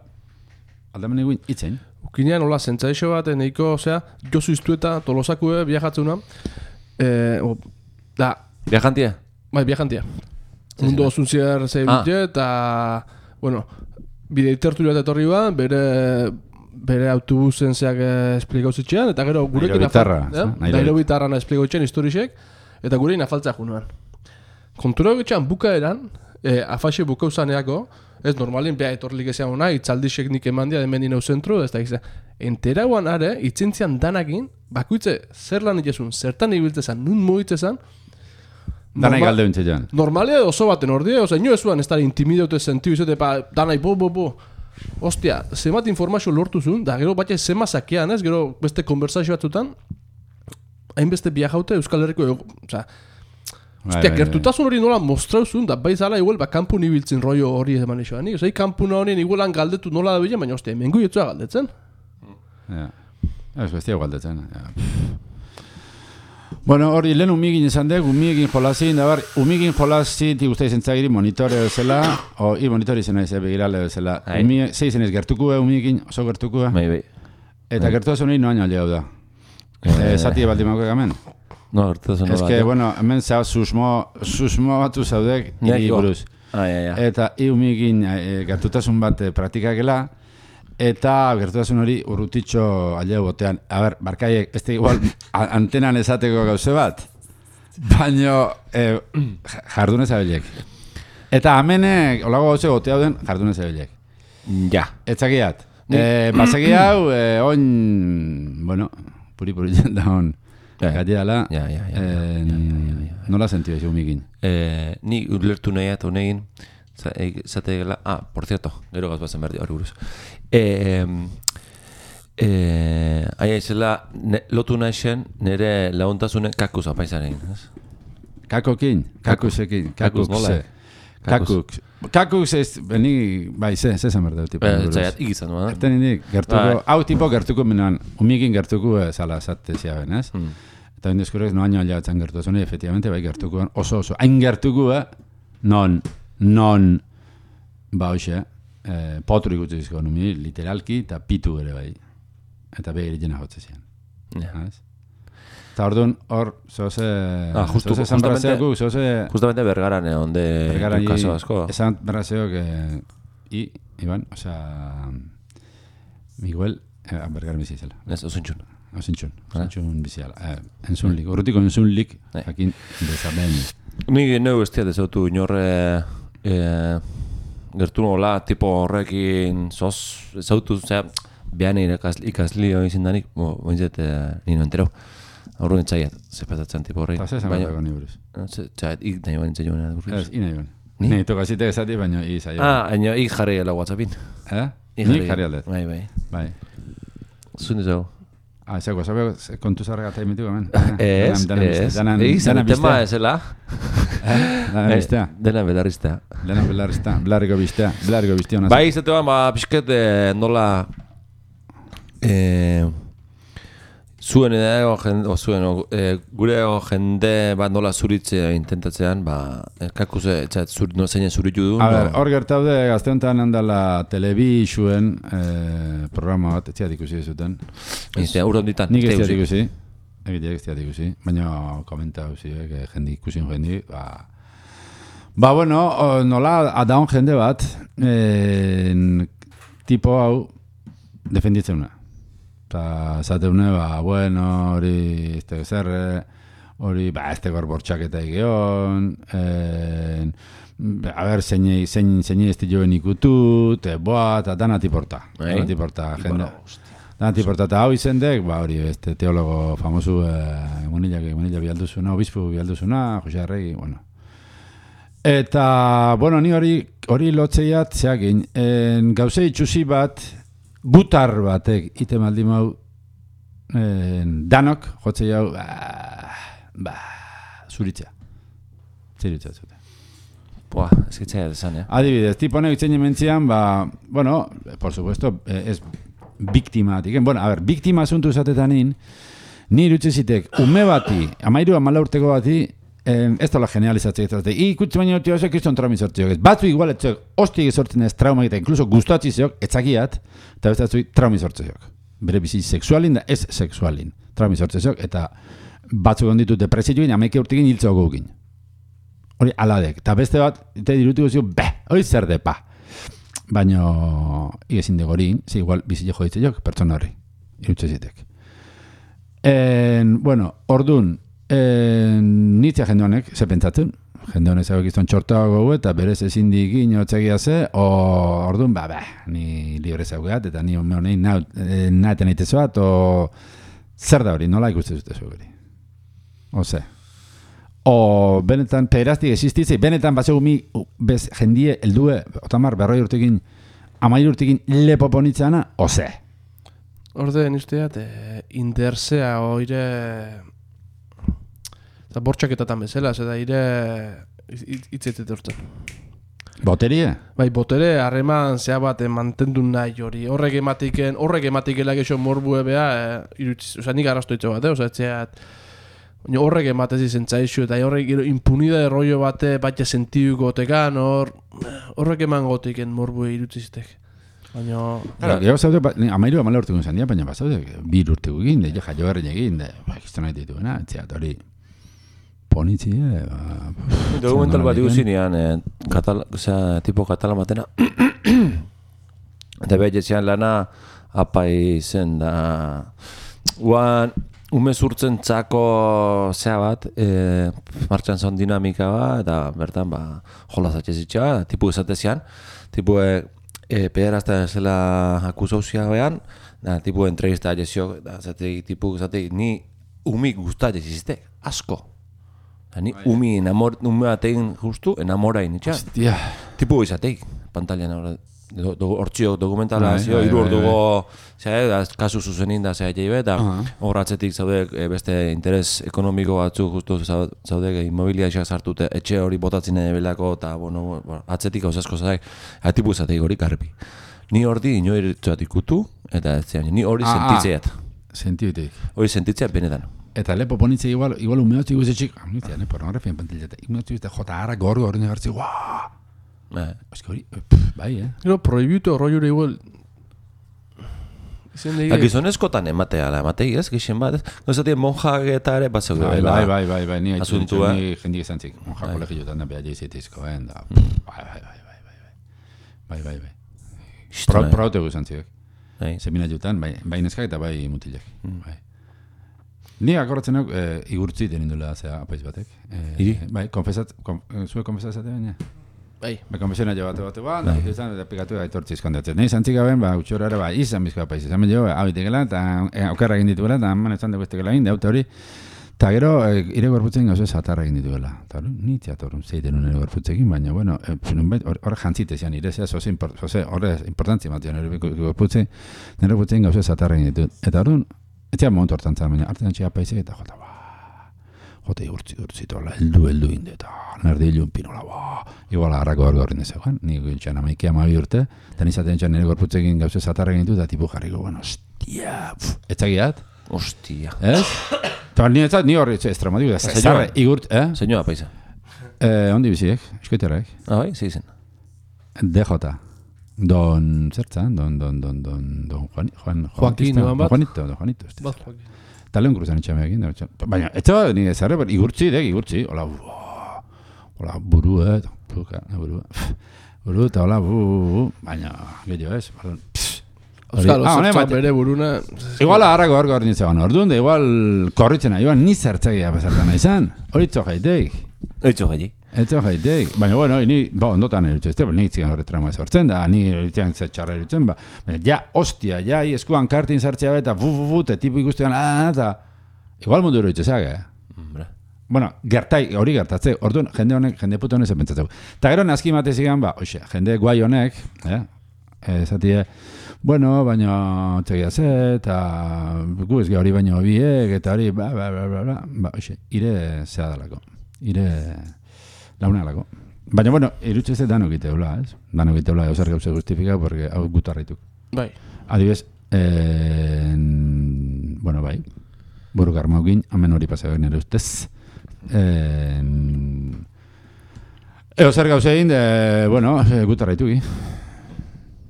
aldamen egin itzen. Ukinean, hola, zentzaixo bat, neiko, osea, Josu Iztueta, Tolosakue, viajatzuna. Viajantia? Bai, viajantia. Mundu osuntziar zeibute, eta, bueno, bide itertu bat etorri ba, bere autobusen zeak esplikauzitxean, eta gero gurekin Nairo bitarra esplikauzitxean historisek, eta gurekin afaltzea junuan. Kontura egitxean bukaeran, afaxe bukauzaneako, ez normalin beha etorlik ezean hona, itzaldixek nik emandia hemen dinau zentru, ez da gizan. Enteraguan are, itzintzian danakin, bakuitze zer lan itezun, zertan ibiltzezan, nun mugitzezan, danai galde bintzetan. Normalia oso baten ordia, oza, ino ezuan ez da intimidote sentiu izate, danai, Ostia, zemat informazio lortu zuen, da gero batxe zema sakean, ez, gero beste konversazio batzutan, hainbeste biajaute Euskal Herriko, oza, ostia, gertutasun hori nola mostrauzun, da bai zala igual, kampun ibiltzen rollo hori eman isoan, ozai, kampuna horien igualan galdetu nola da bilen, baina ostia, mengu jetzua galdetzen. Ja, ez bestia galdetzen, ja. Bueno, hori lehen umigin izan dek, umigin jolazin, da bar, umigin jolazin ti guztai zentzagiri monitore bezala, o monitori izan nahi begirale bezala. Zei zen ez gertuku umigin, oso gertuku bai. Eta gertu da zunei noaino aldea da. Zati ebaldimako egamen? No, gertu da zunei. Ez que, bueno, hemen zau susmo batu zaudek, iri buruz. Eta umigin gertutasun bat praktikakela, eta gertutasun hori urrutitxo aldea botean. A ber, barkaiek, ez da igual antenan esateko gauze bat, baino jardunez abilek. Eta amenek, olago gauze gotea den, jardunez abilek. Ja. Etzakiat. Basegi hau, oin, bueno, puri da hon. Gati dala, nola sentiu ez umigin? Ni ulertu nahiat honegin, zate gela, por cierto, gero gaz bazen berdi hori buruz. Aia izela, lotu nahi nire laguntasunen kakuz apaizaren, ez? Kakokin, kakusekin, kakukse. Kakuk ez, beni, bai, zezan berda dut. Zaiat, igizan, no? Erten indik, gertuko, hau tipo gertuko menuan, umigin gertuko zala zatezia ben, ez? Eta indizkurek noaino aliatzen gertu zuen, efectivamente, bai gertuko, oso, hain gertuko, non, ba hoxe, potru ikutu izko numi, literalki, eta pitu ere bai. Eta behir jena hotze zian. Eta orduan, hor, zoze zanbrazeakuk, zoze... Justamente Bergaran onde kaso asko. Esan berrazeok, Iban, osea, Miguel, Bergaran bizi izela. Ez, osintxun. Osintxun bizi ala. Enzunlik, urrutiko enzunlik, jakin bezamen. Nik neu ez tiat ezautu inorre gertu nola, tipo horrekin ezautu, zera, behan ikasli hori zindanik, boinzet nino entero. Aurru nintzaiat, zepatatzen tipo horri. Eta zezan batako ni buruz? Txat, ik nahi bain nintzen joan buruz. Ez, nahi bain. Ni tokazite ezati, baina izai. Baina ik jarri gela WhatsAppin. Nik jarri aldet? Bai. Zun izau. Ezako, zabe kontu zarrega eta imituko, men? Ez. Egizan, tema ezela. Dena biztea. Dena belarriztea. Belarriko biztea. Bai, izatean, pixket nola... Zuen gure jende bat nola zuritzea intentatzean, kakuse zeinen zuritu du. Hor gertaude, gazte honetan handala telebixuen programa bat, ez ziat ikusi zuten. Urronditan. Nik ez ziat ikusi, egiteak ez ziat ikusi, baina komenta huzi, jende ikusin jendi. Bueno, nola adaun jende bat, tipo hau defenditzen una. Eta zateune, bueno, hori, zerre, hori, ez tegor bortxaketa egion, a ber, zein ez joen ikutut, eta danatiporta, jende. Danatiporta eta hau izendek, hori, teologo famosu, Munilla bialduzuna, obispo bialduzuna, Jose Arregi, bueno. Eta, bueno, ni hori lotzeiat, zeakin, gauze itxusi bat, gutar batek, ite maldi mau, danok, jotzei hau, zuritzea. Zuritzea zute. Buah, eskitzea esan, Adibidez, tiponek itzen jementzian, bueno, por supuesto, ez biktimatik. Bueno, a ver, biktima asuntu esatetanin, ni irutzezitek, ume bati, 13-14 urteko bati, ez tola generalizatzea ez. Ikutze baina urteo ezek kriston traumi sortzeok. Batzu igual etzeok, hostik sortzen ez trauma eta inkluso gustatzizeok, etzakiat, eta ez batzu traumi sortzeok. Bere bizi sexualin da ez sexualin. Traumi sortzeok, eta batzu gonditu depresioin, 11 urtekin hiltzeo gugin. Hori aladek. Eta beste bat, eta dirutu gozio, hori zer depa. Baina, igezin degorin, igual bizi jo ditzeok, pertsona horri. Irutzezitek. Bueno, ordun, nitzia jende honek, ze pentsatzen? Jende honek zego gizton txortago eta berez ezin dikin otzegia ze, orduan, ni libre zeugeat, eta ni honein naeten eitezoat, zer da hori, nola ikusten zute zuheri? Ose. Benetan, pederaztik existitzei, benetan batzegu mi, jendie, eldue, otamar, 40 urtekin, 13 urtekin lepoponitzana, ose. Orde, nizteat, intersea, oire... Eta bortxaketatan bezala, eta ire hitzetet urten. Boterie? Bai, botere, harreman zea bat mantendu nahi hori. Horrek ematikela gexo morbue beha, nik arrastoitzo bat, etxeat, horrek ematez izentzaixu, eta horrek impunidade rollo bate batxe sentiduko tekan, horrek eman gotiken morbue irutzizitek. Baina... Gero zaude, 13 urteko izan dira, baina bazaude, 2 urteko egin, jaio herren egin, gizto nahi dituena, etxeat hori... Ponitzie... Dokumental bat iguzinean, tipo katalan batena. Eta behar jetzean lana apai zen da... Guan, umez urtzen txako zea bat, martxan zon dinamika bat, eta bertan jolazatxe zitxa, tipu esatezian, tipu pederazta zela akusauzia behan, tipu entrevista jesio, tipu esatei, ni umik guztat jesizte, asko. Ni umi batein justu enamorain, itxa? Hostia. Tipu izateik, pantalian hortzio dokumentala, hiru orduko, kasu zuzenin da zea jaibe, eta horratzetik zaude beste interes ekonomiko batzu justu zaude immobiliaxak sartute, etxe hori botatzen belako, eta atzetik hausasko zaik, tipu izateik hori karpi. Ni hori inoiritzuat ikutu, eta ez zean, ni hori sentitzeat. Sentitzeat. Hori sentitzeat benetan. Eta lepo ponitze igual umeotzi guzetxik, nitzia, pornografia pantileta, umeotzi guzti jota harra gorgo hori negartzi, guaa! Eski hori, bai, Gero, prohibitu horro igual... Gizonezkotan ematei ez, gixen bat, ez? Gozatien monjak eta ere, bat zeude bela. Bai, ni jendik izantzik, monjak kolegiotan da behar jeizitizko, da, bai. Prautegu izantzik, semina jutan, bai neskak eta bai mutilek, bai. Ni akorratzen hau igurtzi denin duela zea apaiz batek. Bai, zue konfesatzatea baina? Bai, konfesiona jo bate bat, eta pikatu gaitortzi izkondatzen. Nei, zantzik gaben, utxora ere, izan bizko apaiz. Izan jo, hau itekela, eta okerra egin dituela, eta haman ezan dugu estekela egin, deute hori. Eta gero, ire gorputzen gauze zatarra egin dituela. Eta hori, ni teatorun zeiten nire gorputzekin, baina, bueno, horre jantzitezian, ire zea, horre importantzia matian, nire gorputzen gauze zatarra egin ditut. Eta hori, etxea momentu hortan zara, baina artean txea paizek eta jota igurtzi tola, heldu inde, eta nerdi hilun pinola, igual agarrako gorgorrin dezegoen, nik gintxan 11 urte, eta nizaten txan nire gorputzekin gauze zatarra egin ditu, eta tipu jarriko, ostia, etxagiat? Ostia. Ez? Eta ni horri estramatiko, zarre igurt, Senyoa paisa. Ondi biziek, eskoiterrek. Bai, zeizen. DJ. Don Zertzan, don Juanito. Eta lehen kruzan itxameakin. Baina, ez da, nire zarre, igurtzi, hola, buru, eta hola, baina, gehiago ez, Euskal, zertzak bere buruna... Igual aharrako hor nintzen orduan, da igual korritzen joan ni zertzagia pasartan izan. Hori txojaitek. Etzo jaitek. Baina, bueno, ni ondotan erutxe, nik zigan horre trama sortzen da, ni erutxean txarra erutzen, ja, ostia, ja, eskuan kartin sartzea eta te tipu ikustean, eta igual mundu erutxe zeak, Bueno, hori gertatze, orduan, jende puto honek zenpentzatzeu. Ta gero nazki mate zigan, jende guai honek, esatie, bueno, baina txegia ze, eta gu ez hori baino biek, eta hori, ire zea dalako. Ire launalako. Baina, bueno, irutxe ez danok iteula, ez? Danok iteula, eusar gauze justifika, porque hau gutarraituk. Bai. Adibes, bueno, bai, buru garmaukin, hemen hori pasagoen ere ustez. Eusar gauze egin, bueno, gutarraituki.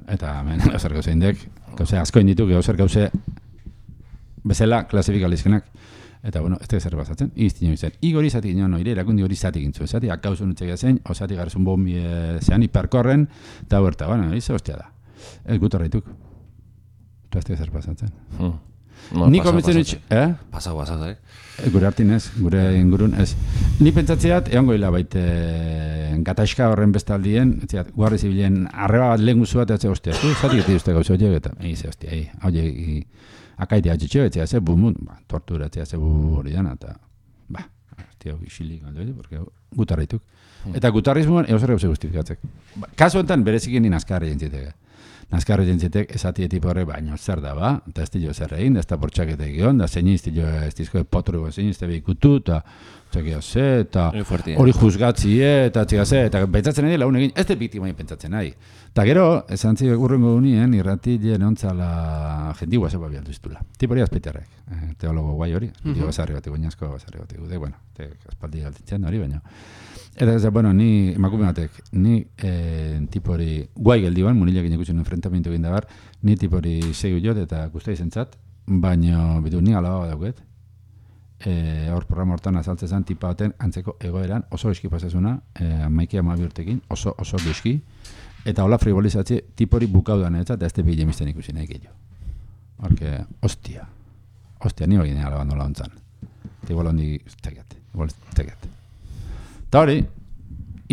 Eta, hemen, eusar gauze indek, gauze asko indituk, eusar gauze bezala klasifikalizkenak. Eta, bueno, ez da zer bazatzen, iztino izan. Igori zati ginen, ire erakundi hori zati gintzu. Zati, akausun utxegia zen, osati garzun bombi zean hiperkorren, eta huerta, bueno, izo hostia da. Ez gutarraituk. Eta ez da zer bazatzen. Ni komitzen utx, Pasau, Gure hartin ez, gure ingurun ez. Ni pentsatzeat, egon goila baite gataiska horren bestaldien, etziat, guarri zibilen arreba bat lehen guzu bat, eta hostia, zati geti uste gauze horiek, eta eize hostia, hau akaite atxetxeo, etzea ze, tortura etzea ze hori dana, eta, hostia, isilik aldo, porque gutarraituk. Eta gutarrizmuan, eusar gauze justifikatzek. Kasu enten, berezikin ni nazkarri jentzitek. Nazkarri jentzitek, esati tipo horre, baino zer da, eta ez dilo zer egin, da ez da portxaketek egon, da zein iztilo ez dizko potru, zein izte behikutu, eta txekia ze, eta hori juzgatzi, eta txekia ze, eta pentsatzen nahi lagun egin, ez da biktimai pentsatzen nahi. Eta gero, esan zibek urrengo unien, irratilen ontzala jendigua zeba bialdu iztula. Tipo hori azpeiterrek, teologo guai hori, basarri bat egoinazko, basarri bat egude, bueno, aspaldi galtitzen hori, baina. Eta ez da, bueno, ni, emakume batek, ni tipo hori guai geldiban, munilekin ikusten enfrentamentu egin dabar, ni tipo hori segu jot eta guztia izentzat, baina, bitu, ni alaba dauket, hor programa hortan azaltzen zen, tipa baten antzeko egoeran, oso eski pasazuna, maiki 12 urtekin, oso duski, eta hola frivolizatze tipori bukaudan eta ez tepi jemisten ikusi nahi gehiago. Horke, ostia, ni hori nena labando launtzan. Eta igual hondi tegiat. Eta hori,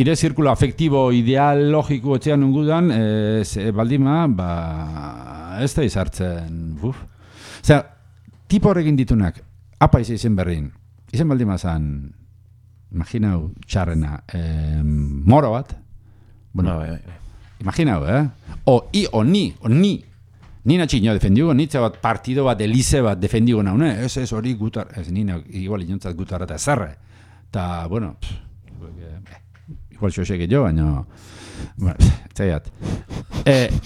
ire zirkulo afektibo ideologiko etxean nungudan, baldima, ez da izartzen, Osea, tipo horrekin ditunak, apa izen berrin, izen baldima zan, imaginau txarrena, moro bat, bueno, imaginau, o ni natxinio defendiugo, nitza bat partido bat, elize bat defendiugo naune, ez hori gutar, ez nina, igual inontzat gutarra eta zerre, eta, bueno, igual xoxek jo, baina, txaiat.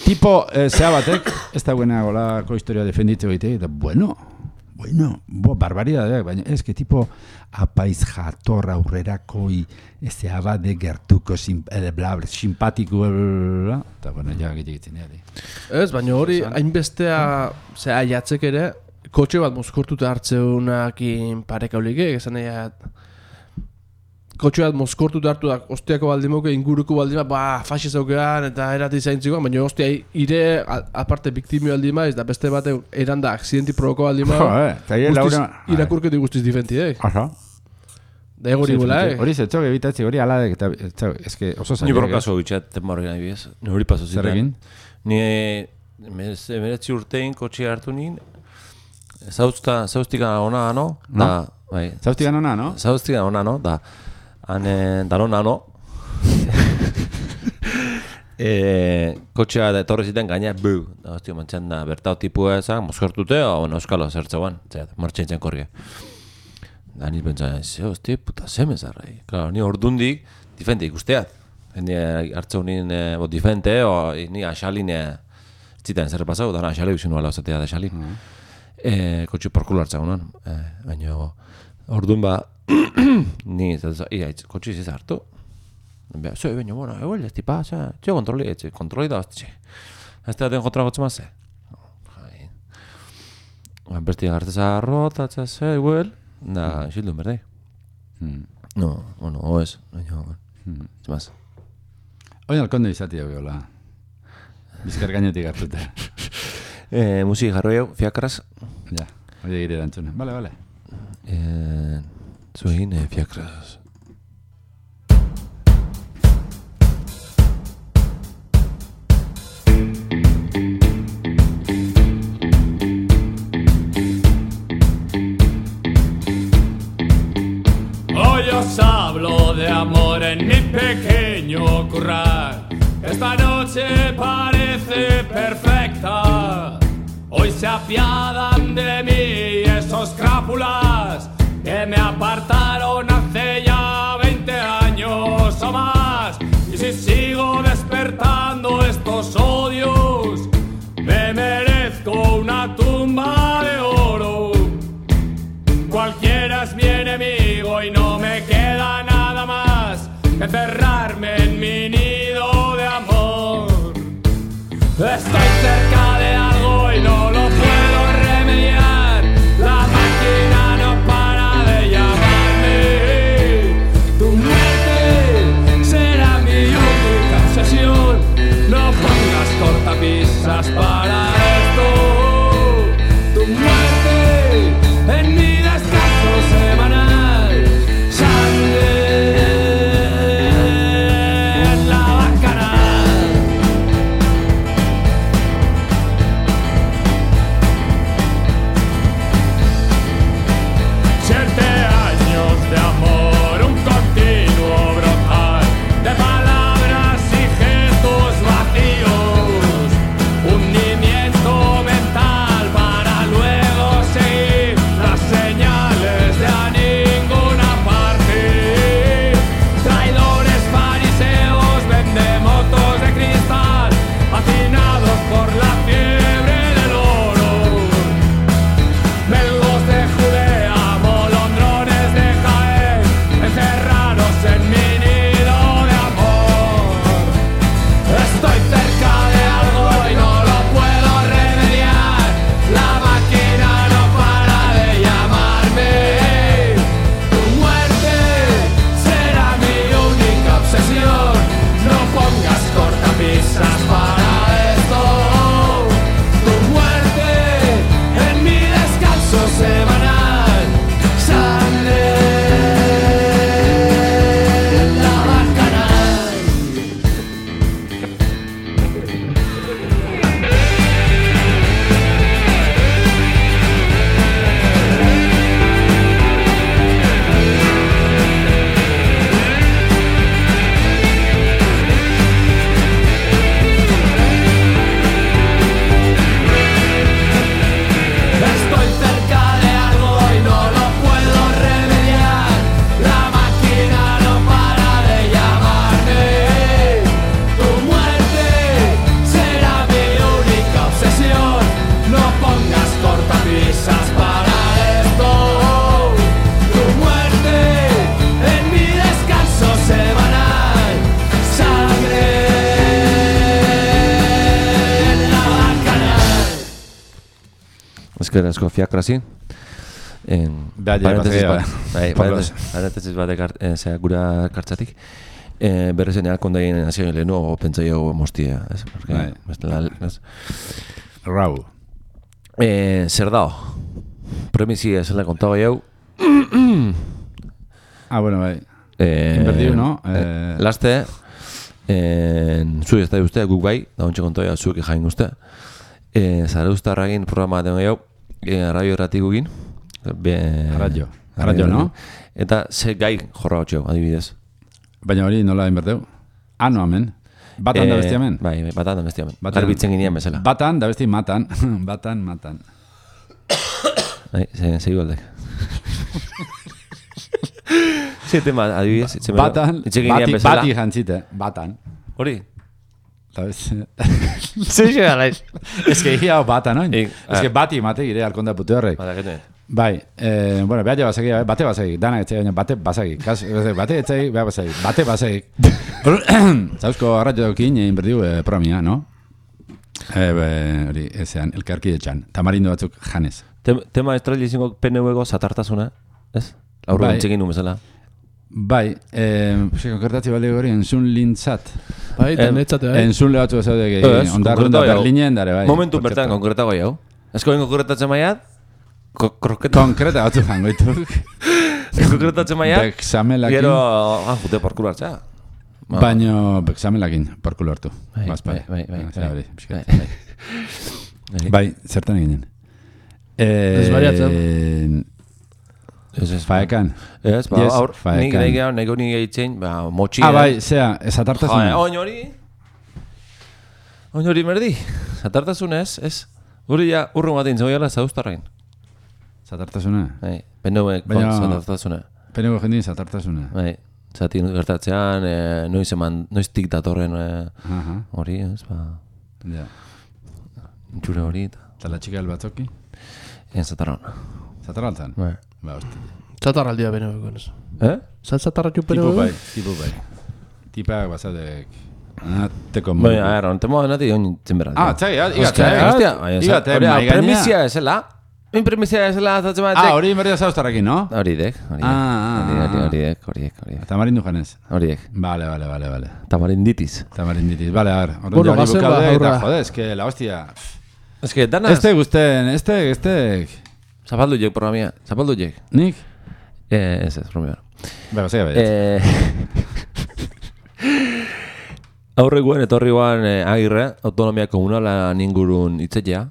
Tipo, zea batek, ez da buena golako historia defenditzeko egite, eta, bueno, barbaridade, baina ez que tipo apaiz jatorra aurrerakoi ezea bat de gertuko simpatiko, eta, bueno, ja gitzen ere. Ez, baina hori, hainbestea, zea, jatzek ere, kotxe bat mozkortuta hartzeunakin parekaulik, esan egin, kotxe bat mozkortuta hartu da, ostiako baldimoke, inguruko baldima, faxiz aukean, eta erati zaintzikoan, baina ostia, ire, aparte, biktimio aldima, ez da beste bat eranda, aksidenti provoko aldima, irakurketu guztiz difentiek. Da egori gula, Hori zetxok ebitatzi, hori aladek, eta eske oso zailek. Ni borrokazo bitxat, temar gana ibiez, ni hori paso ziren. Zerrekin? Ni emeretzi urtein kotxea hartu nien, zauztika ona, no? Zauztika ona, no? Zauztika ona, no? Danon nano. Kotxea da etorri ziten gaina, hostia, mantxan da, bertao tipua ezak, mozkortute, euskalo zertzegoan, martxaitzen korria. Da nit pentsan, hostia, puta semezarra. Claro, ni ordundik, difente ikusteat. Ni hartzeu nien difente, ni axalin, zitan zer pasau, da axale usin nuala osatea da axalin. Kotxe porkulo hartzagunan, baina ordun ni kotxe iziz hartu. Zoi, baina, bueno, eguel, ez tipa, txio kontroli da, ez da den kontra gotzu mazze. Besti garteza arrota, eguel, da, xildun berdei. No, bueno, oez, baina, zimaz. Oin alkonde izati hau gehola. Bizkar gainetik hartuta. Musik jarroi hau, fiakras. Ja, hori egire dantzune. Vale. Zuegin, fiakras. Hoy os hablo de amor en mi pequeño corral. Esta noche parece perfecta. Hoy se apiadan de mí esos crápulas que me apartaron hace ya 20 años o más. Y si sigo despertando estos odios, me merezco una tumba de oro. Cualquiera es mi enemigo y no me queda nada más que encerrarme en mi nido de amor. Estoy cerca de algo y no lo puedo remediar. La máquina no para de llamarme. Tu muerte será mi única obsesión. No pongas cortapisas para esto. Tu muerte en mi descanso semanal. Sangre en la bacanal. 7 años de amor, un continuo brotar de palabras y gestos vacíos, hundimiento mental para luego seguir las señales de a ninguna parte. Traidores fariseos, vendemotos de cristal, hacinados por la fiebre del oro. Belgos de Judea, molondrones de Jaén, encerrados en mi nido de amor. Estoy cerca de algo y no lo puedo remediar. La máquina no para de llamarme. Tu muerte será mi única obsesión. No pongas cortapisas para esto. Tu muerte en mi descanso semanal. Sangre en la bacanal. Estoy cerca de algo y no lo puedo remediar. La máquina no para de llamarme. Tu muerte será mi única obsesión. No pongas cortapisas para esto. Tu muerte en mi descanso semanal. Sangre en la bacanal. Eskerazko fiakrasi. Parentesis bat gura kartzatik. Berrezen alkondaien nazioen lehenu pentsaio mostia. Bai. Rau. Zer dao? Premisi esela kontau jau. Bueno, bai. Invertiu, no? Laste, zuek ez da uste, guk bai, da ontsa kontau jau, zuek jain uste. Zara ustarragin programa den jau, radio erratikugin. Radio, no? Eta ze gai jorra hotxeo, adibidez. Baina hori nola inberteu? No, hemen. Batan da besti hemen? Bai, batan da besti hemen. Garbitzen ginean bezala. Batan da besti matan. Matan. Bai, zei goldek. Ze tema, adibidez. Batan, bati jantzite. Batan. Hori? Zer galaiz. Ez que hia batan, oin? Ez que bati mate gire alkonda putu horrek. Bai, bueno, behar basegi, bate basegi, dana etxe, bate basegi, bate etxe, behar basegi, bate basegi. Zauzko arratxokin inberdiu promia, no? Hori, ezean, elkarki etxan, tamarindo batzuk janez. Tema estrali izango PNV-go zatartasuna, ez? Laurro entzekin numezala. Bai, konkretatzi balde hori entzun lintzat. Bai, netzate, bai. Entzun lehatzu ezaudek ondarrun da Berlinen dare, bai. Momentu bertan konkretago jau. Esko ben konkretatzen maiat? Konkreta batzu jango dituk. Konkretatzen maiat? Beksamelakin. Gero, jute parkulo hartza. Baina beksamelakin parkulo hartu. Bai, zertan eginen. Desbariatzen. Faekan. Ez, aur, nik honi egiten, motxia. Bai, zea, zatartasuna. Oin hori merdi, zatartasunez, ez? Guri ja, urrun batein zegoela zauztarrain. Zatartasuna? Bai, penuek zatartasuna. Penuek jendin zatartasuna. Bai, zati gertatzean, noiztik datorren hori, ez, Ja. Txure hori. Eta la txika batzoki? Zatarran. Zatarraltan? Bai. Ba, hosti. Zatarraldia beneuk, ez. Zatarratxu beneuk? Tipo bai. Tipak bazadek. Teko modu. Bai, aher, ontemo nati honi zenberra. Txai, igate, maigaina. Premizia esela. Premizia esela zatzen batek. Hori inberdia zauztarrakin, no? Horiek. Tamarindu janez. Horiek. Vale. Tamarinditis. Vale, a ver. Bueno, gazen eta jode, es que la hostia. Es que dana... Este gusten, este... Zapaldu jek programia, zapaldu jek. Nik? Ez, programia. Bego, zega baiet. Aurre guen, etorri guan Agirre, autonomia komunala ningurun itzetea.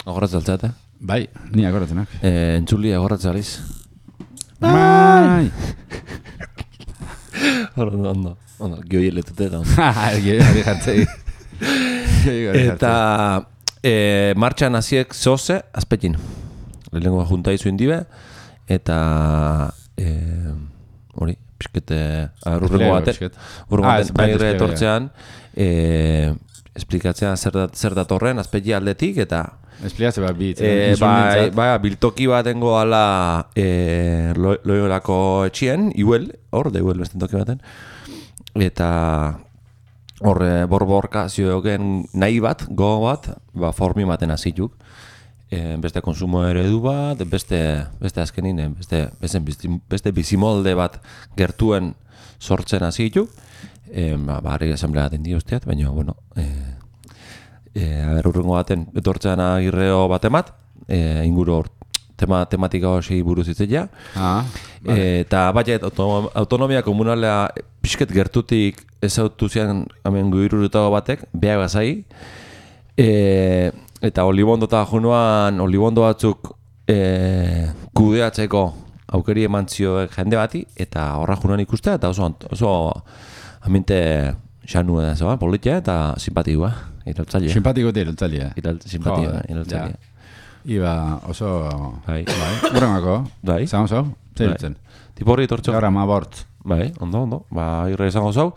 Agorratzen altzate. Bai, ni agorratzenak. Entzuli agorratzen aliz. Bai! Ondo, gioi eletute eta ondo. Gioi jartzei. Eta martxan hasiek zoze, azpetin. Lehenengo junta izuin dibe, eta hori, piskete, urrengo baten, Agirre etortzean, esplikatzean zer datorren, azpeti aldetik, eta esplikatze bat bai, biltoki batengo ala loiolako etxien, iuel, hor, da iuel besten toki baten, eta hor borborka ziogen nahi bat, gogo bat, formi baten hazituk, beste konsumo eredu bat, beste azkenin, beste bizimolde bat gertuen sortzen hazituk, harri asamblea den diozteat, baina, bueno, urrengo baten etortzean Agirreo batemat, inguru tematika hori buruz itzeia. Eta baiet, autonomia komunalea pixket gertutik ezautu zian hemen guirurutago batek, behar bazai. Eta olibondo eta junuan, olibondo batzuk kudeatzeko aukeri emantzioek jende bati, eta horra junuan ikustea, eta oso aminte xanu edo politia eta simpatikua. Iraltzaile. Simpatiko eta iraltzaile. Iraltzaile. Iba oso... Bai. Urrengako. Bai. Zango zau? Zeritzen. Tipo horri tortxo. Gaur amabort. Bai, ondo. Irre izango zau.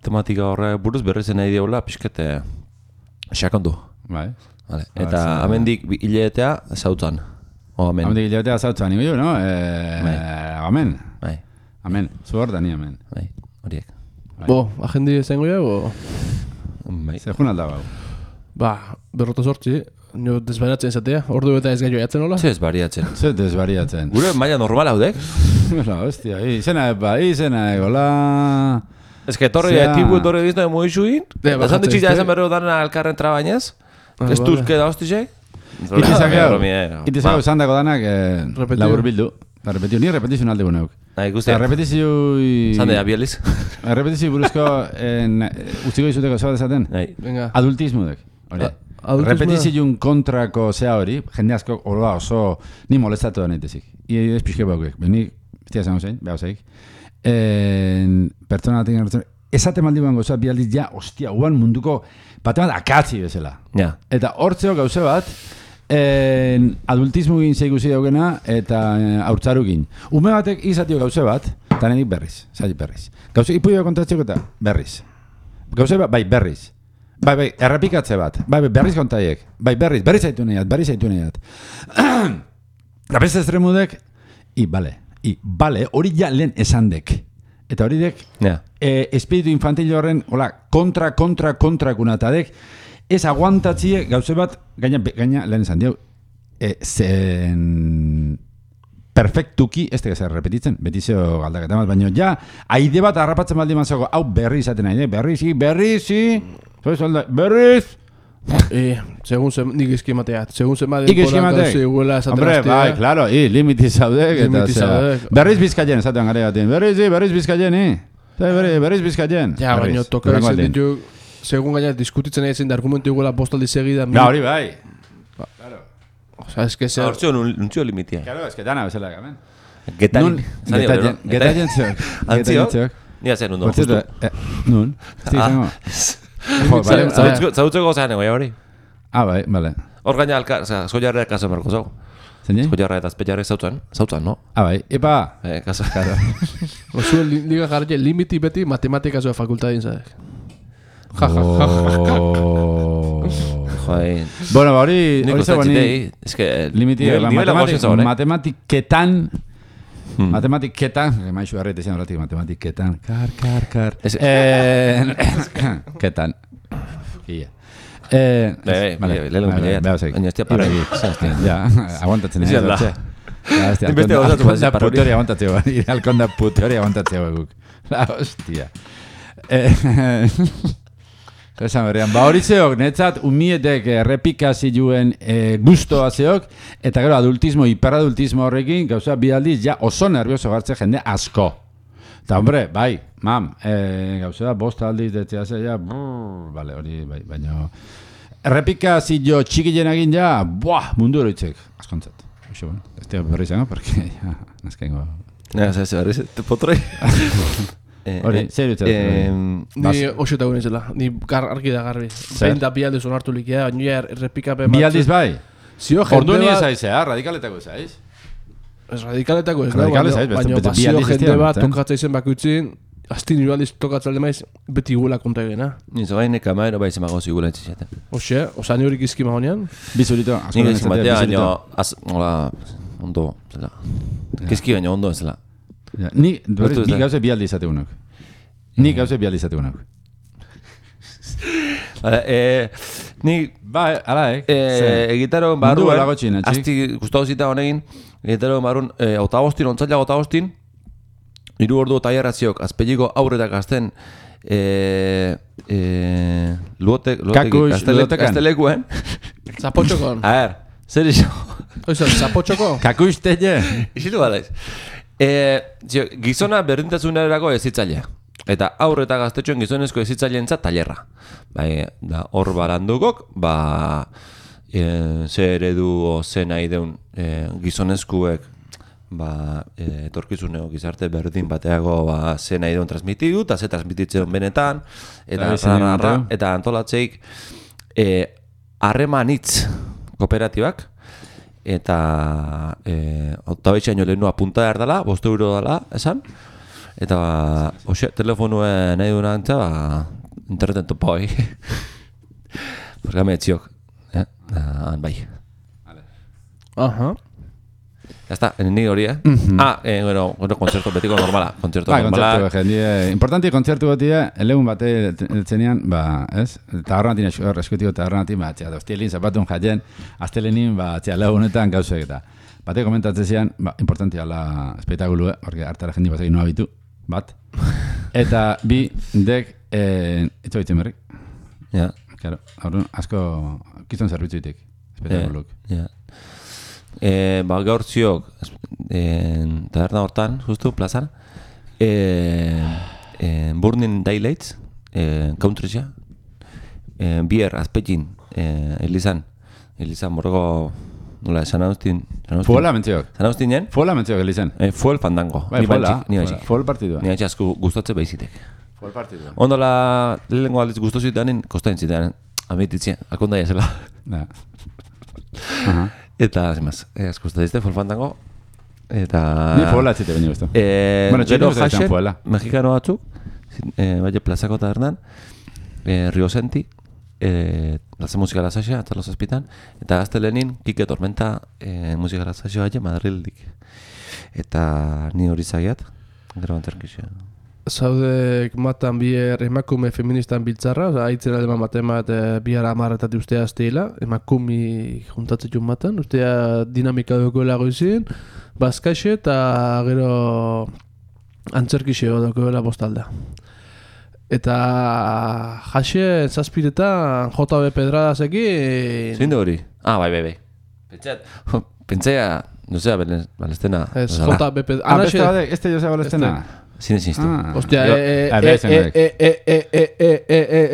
Tematika horre buruz berrezen nahi diola pixkete xakondu. Bai. Eta amendik hiletea zautzan. Amendik hiletea zautzan. Igo no? Amen. Bai. Amen. Zuhor da ni amen. Bai, horiek. Bo, agendi zengo jago? Zehun alda bau. Berroto sortzi, nio desbariatzen izatea, ordu eta ez gaio jatzen hola? Ze desbariatzen. Gure maila normal haudek? Hostia, izena egola... Ez que tipu etorri dizna emo isuin? Esan ditxita esan berreo dana alkarren trabainez? Ez tuzke da hostizek? Itizako esan dako danak labur bildu. Ni repetizio alde guneuk. Repetizio... Zandea, bieliz. Repetizio buruzko utziko izuteko zaba dezaten? Adultismudek. Repetizioen kontrako zea hori, jende asko oso ni molestatu da naitezik. Ez pixke baukek. Beni, bestia zango zein, behau zeik. Pertsona batekin gertzen, esate maldi guan gauza, bi aldiz ja, ostia, guan munduko bate bat akatzi bezala. Eta hortzeo gauze bat, adultismo gin zeikusi daugena eta haurtzarukin. Ume batek izatio gauze bat, eta nedik berriz. Gauze ipuio kontatzeko eta berriz. Gauze bat, bai, berriz. Bai, errepikatze bat. Bai, berriz kontaiek. Bai, berriz zaitu nahiat. Eta beste estremudek, bale, hori ja lehen esandek. Eta hori dek, espiritu infantil horren, kontra kunatadek, ez aguantatzie gauze bat, gaina lehen esan diau, perfektuki, ez tegazer repetitzen, betizio galdaketa bat, baina ja, aide bat harrapatzen baldin mazoko, hau berri izaten nahi, berriz, Segun nik eskemateat, segun zenbat denborak zegoela esaten hombre, bai, claro, limiti zaudek, berriz bizkaien, esaten gare batean, berriz bizkaien, berriz bizkaien. Ja, baina toka izan ditu, segun gaina diskutitzen egin da argumentu iguela bostaldi segida. Ja, hori bai. Claro. O sea, es que se... Hortzio nuntzio limitia. Claro, es que dana bezala gamen. Getaien ziok. Nia zen nundo, justu. Nun, izango. Zautzeko zean egoia hori. Bai, bale. Hor gaina zoiarreak kaso marko zau. Zein? Zoiarra eta espetxarrek zautzen, no? Bai, epa. Kaso. Oso liga jarri limiti beti matematika zoa fakultadin zadek. Bueno, hori zegoen limiti matematiketan maizu harrete zen horretik matematiketan kar ketan lehelo ja, aguantatzen Inbeste gozatu bat putori aguantatzeo alkonda putori aguantatzeo guk la hostia esan berrean, hori zeok, netzat umietek errepikazioen guztoa zeok, eta gero adultismo, hiperadultismo horrekin, gauza, bi aldiz, ja oso nervioso gartze jende asko. Eta, hombre, bai, gauza, bost aldiz, detzea ze, ja, bale, hori, bai, baina... Errepikazio txikien egin, ja, mundu horitzek, askontzat. Oixo, bueno, ez teo berri izango, porque, ja, nazkengo... berri, potroi... Hori, zer dutzen? Ni oso gune zela, ni argi da garbi. Behin da bi aldiz onartu likea, baina errepikapen bat. Bi aldiz bai? Ordu ni ezaiz, radikaletako ezaiz? Ez radikaletako ez, baina bazio jende bat tokatza izen bakuitzin, asti niru aldiz tokatzea alde maiz, beti gula konta egena. Nizo bain eka maero bai zemago zigula etxizaten. Oxe, osa ni horik izki mahonean? Bizurito. Nik ezin batea, baina, ondo, zela. Kizki baina ondo ezela. Ni gauze bi aldi izate unok. Ni ala, egitaroen barruen, asti guztau zita honekin, egitaroen barruen, otagostin, ontzaila otagostin, 3 ordu taierraziok, azpeliko aurretak azten, gaztelekuen. Zapotxokon. A ver, zer iso? Oizan, zapotxoko? Kakuiztele. Izitu balaiz. Gizona berdintasunerako ezitzailea. Eta aurreta gaztetxoen gizonezko ezitzaileentzat tailerra. Hor barandukok, ze eredu o ze nahi deun gizonezkuek etorkizuneko gizarte berdin bateago ze nahi deun transmitidu, eta ze transmititzen benetan, eta antolatzeik harremanitz kooperatibak, eta otabetxean jo lehenua punta behar dela, 5 euro dela, esan, eta telefonuen nahi duen antza, interneten topa hoi. Porque etziok, bai. Aha. Ya está, ni hori, bueno, kontzertu betiko normala, kontzertu normala. Kontzertu jendie, importanti kontzertu batia, elegun bate txenian, ez? Tabernatin eskutiko tabernatin, hostilin zapatun jaien, astelenin, legunetan gauzek eta. Bate komentatzen zian, importanti ala espektakulu, porque hartara jendi batzak inoa bitu, bat. Eta bi, dek, etxo bitzen berrik. Ja. Claro, asko, kizton zerbitzu itik, espektakuluk. Ja. Gaur ziok taberna hortan, justu, plazan, Burning Daylights, Countrysea, bier, azpetin, Elizan morroko, nola, San Agustin. Fuela mentziok. San Agustinen? Fuela mentziok, Elizan. Fuel fandango. Fuel partidua. Ni baitxik gustatze behizitek. Fuel partidua. Ondola, lehenko aldiz guztu zitanen, kostain zitanen, amititzien, akondaia zela. Eta, zemaz, gustatizte, fuel fandango. Eta... Ni fuela etzite bine guztu. Gero jaxen, mexikano batzuk, baina plazako tabernan, Rio Senti, Plaza Musikala Saxa, atzalo zazpitan, eta gaztelenin, Kike Tormenta Musikala Saxa baina Madrildik. Eta ni hori zagiat, gero anterkizio. zaudek matan bier emakume feministan biltzarra, oza, aitzera deman maten bat biar amarretatik ustea azteila, emakumi juntatzen matan, ustea dinamika dukoela goizin, bazkaixe eta gero antzerkixe dukoela bostalda. Eta jaxe zazpiretan JB Pedradasekin... Zein du hori? Bai. Pentsaia, no sé, Balestena. Ez, JB Pedradasekin... Este Joseba Balestena? Sin existo. Ostia,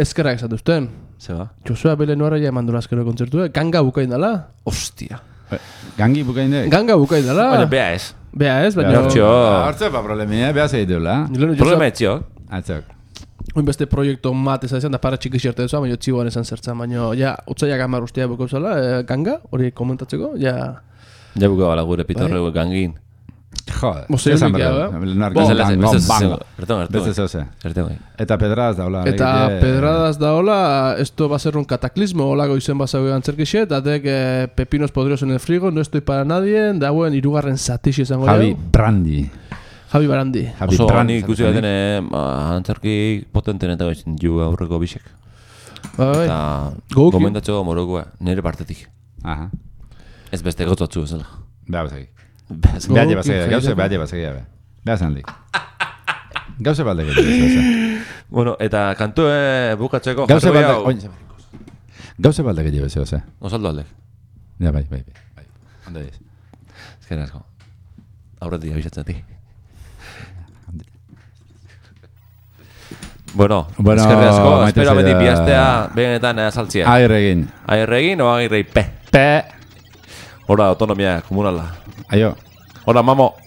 ezkerrak esan duzten. Zeba? Josua Belenuara ja eman dolazkero kontzertu, ganga bukain dala. Ostia. Gangi bukain dek? Ganga bukain dala. Baina, bea ez. Bea ez, baina... Hortxo. Hortzo, problemia, bea segitula. Problema etxio. Atzok. Oin beste proiektu mat ezan da para txiki xerte duzu, baina txiboan esan zertzen, baina ja, utzaiak amar ustea buko zela, ganga, hori komentatzeko, ja... Ja buko bala gure pitorregu gangin. Joder, Mozei esan unikia, Eta Pedradas daula. Eta Pedradas daula, esto va a ser un cataclismo, olago izen bazago antzerkixe, eta dek pepinos podrios en el frigo, no estoy para nadie, dauen irugarren zatixi izango Javi Brandi. Oso gani ikusi gaten antzerki potenten eta gaitzen ju aurreko bisek. Eta gomendatxo morokoa, nire partetik. Ez beste gotzatzu ezela. Gauze basegia. Gauze balde gehiago. Bueno, eta kantu bukatzeko Gauze balde gehiago. Osaldo aldek. Ja, bai. Ondo ez. Ezken asko. Aurretik abisatzen ti. Bueno, ezkerri asko. Espero beti bihaztea begenetan saltzia. Agirregin o agirrei P. Hora, autonomia komunala. Aio. Hola, mamo.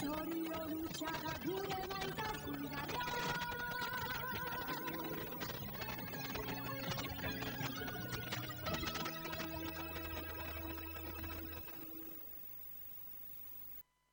Sorry,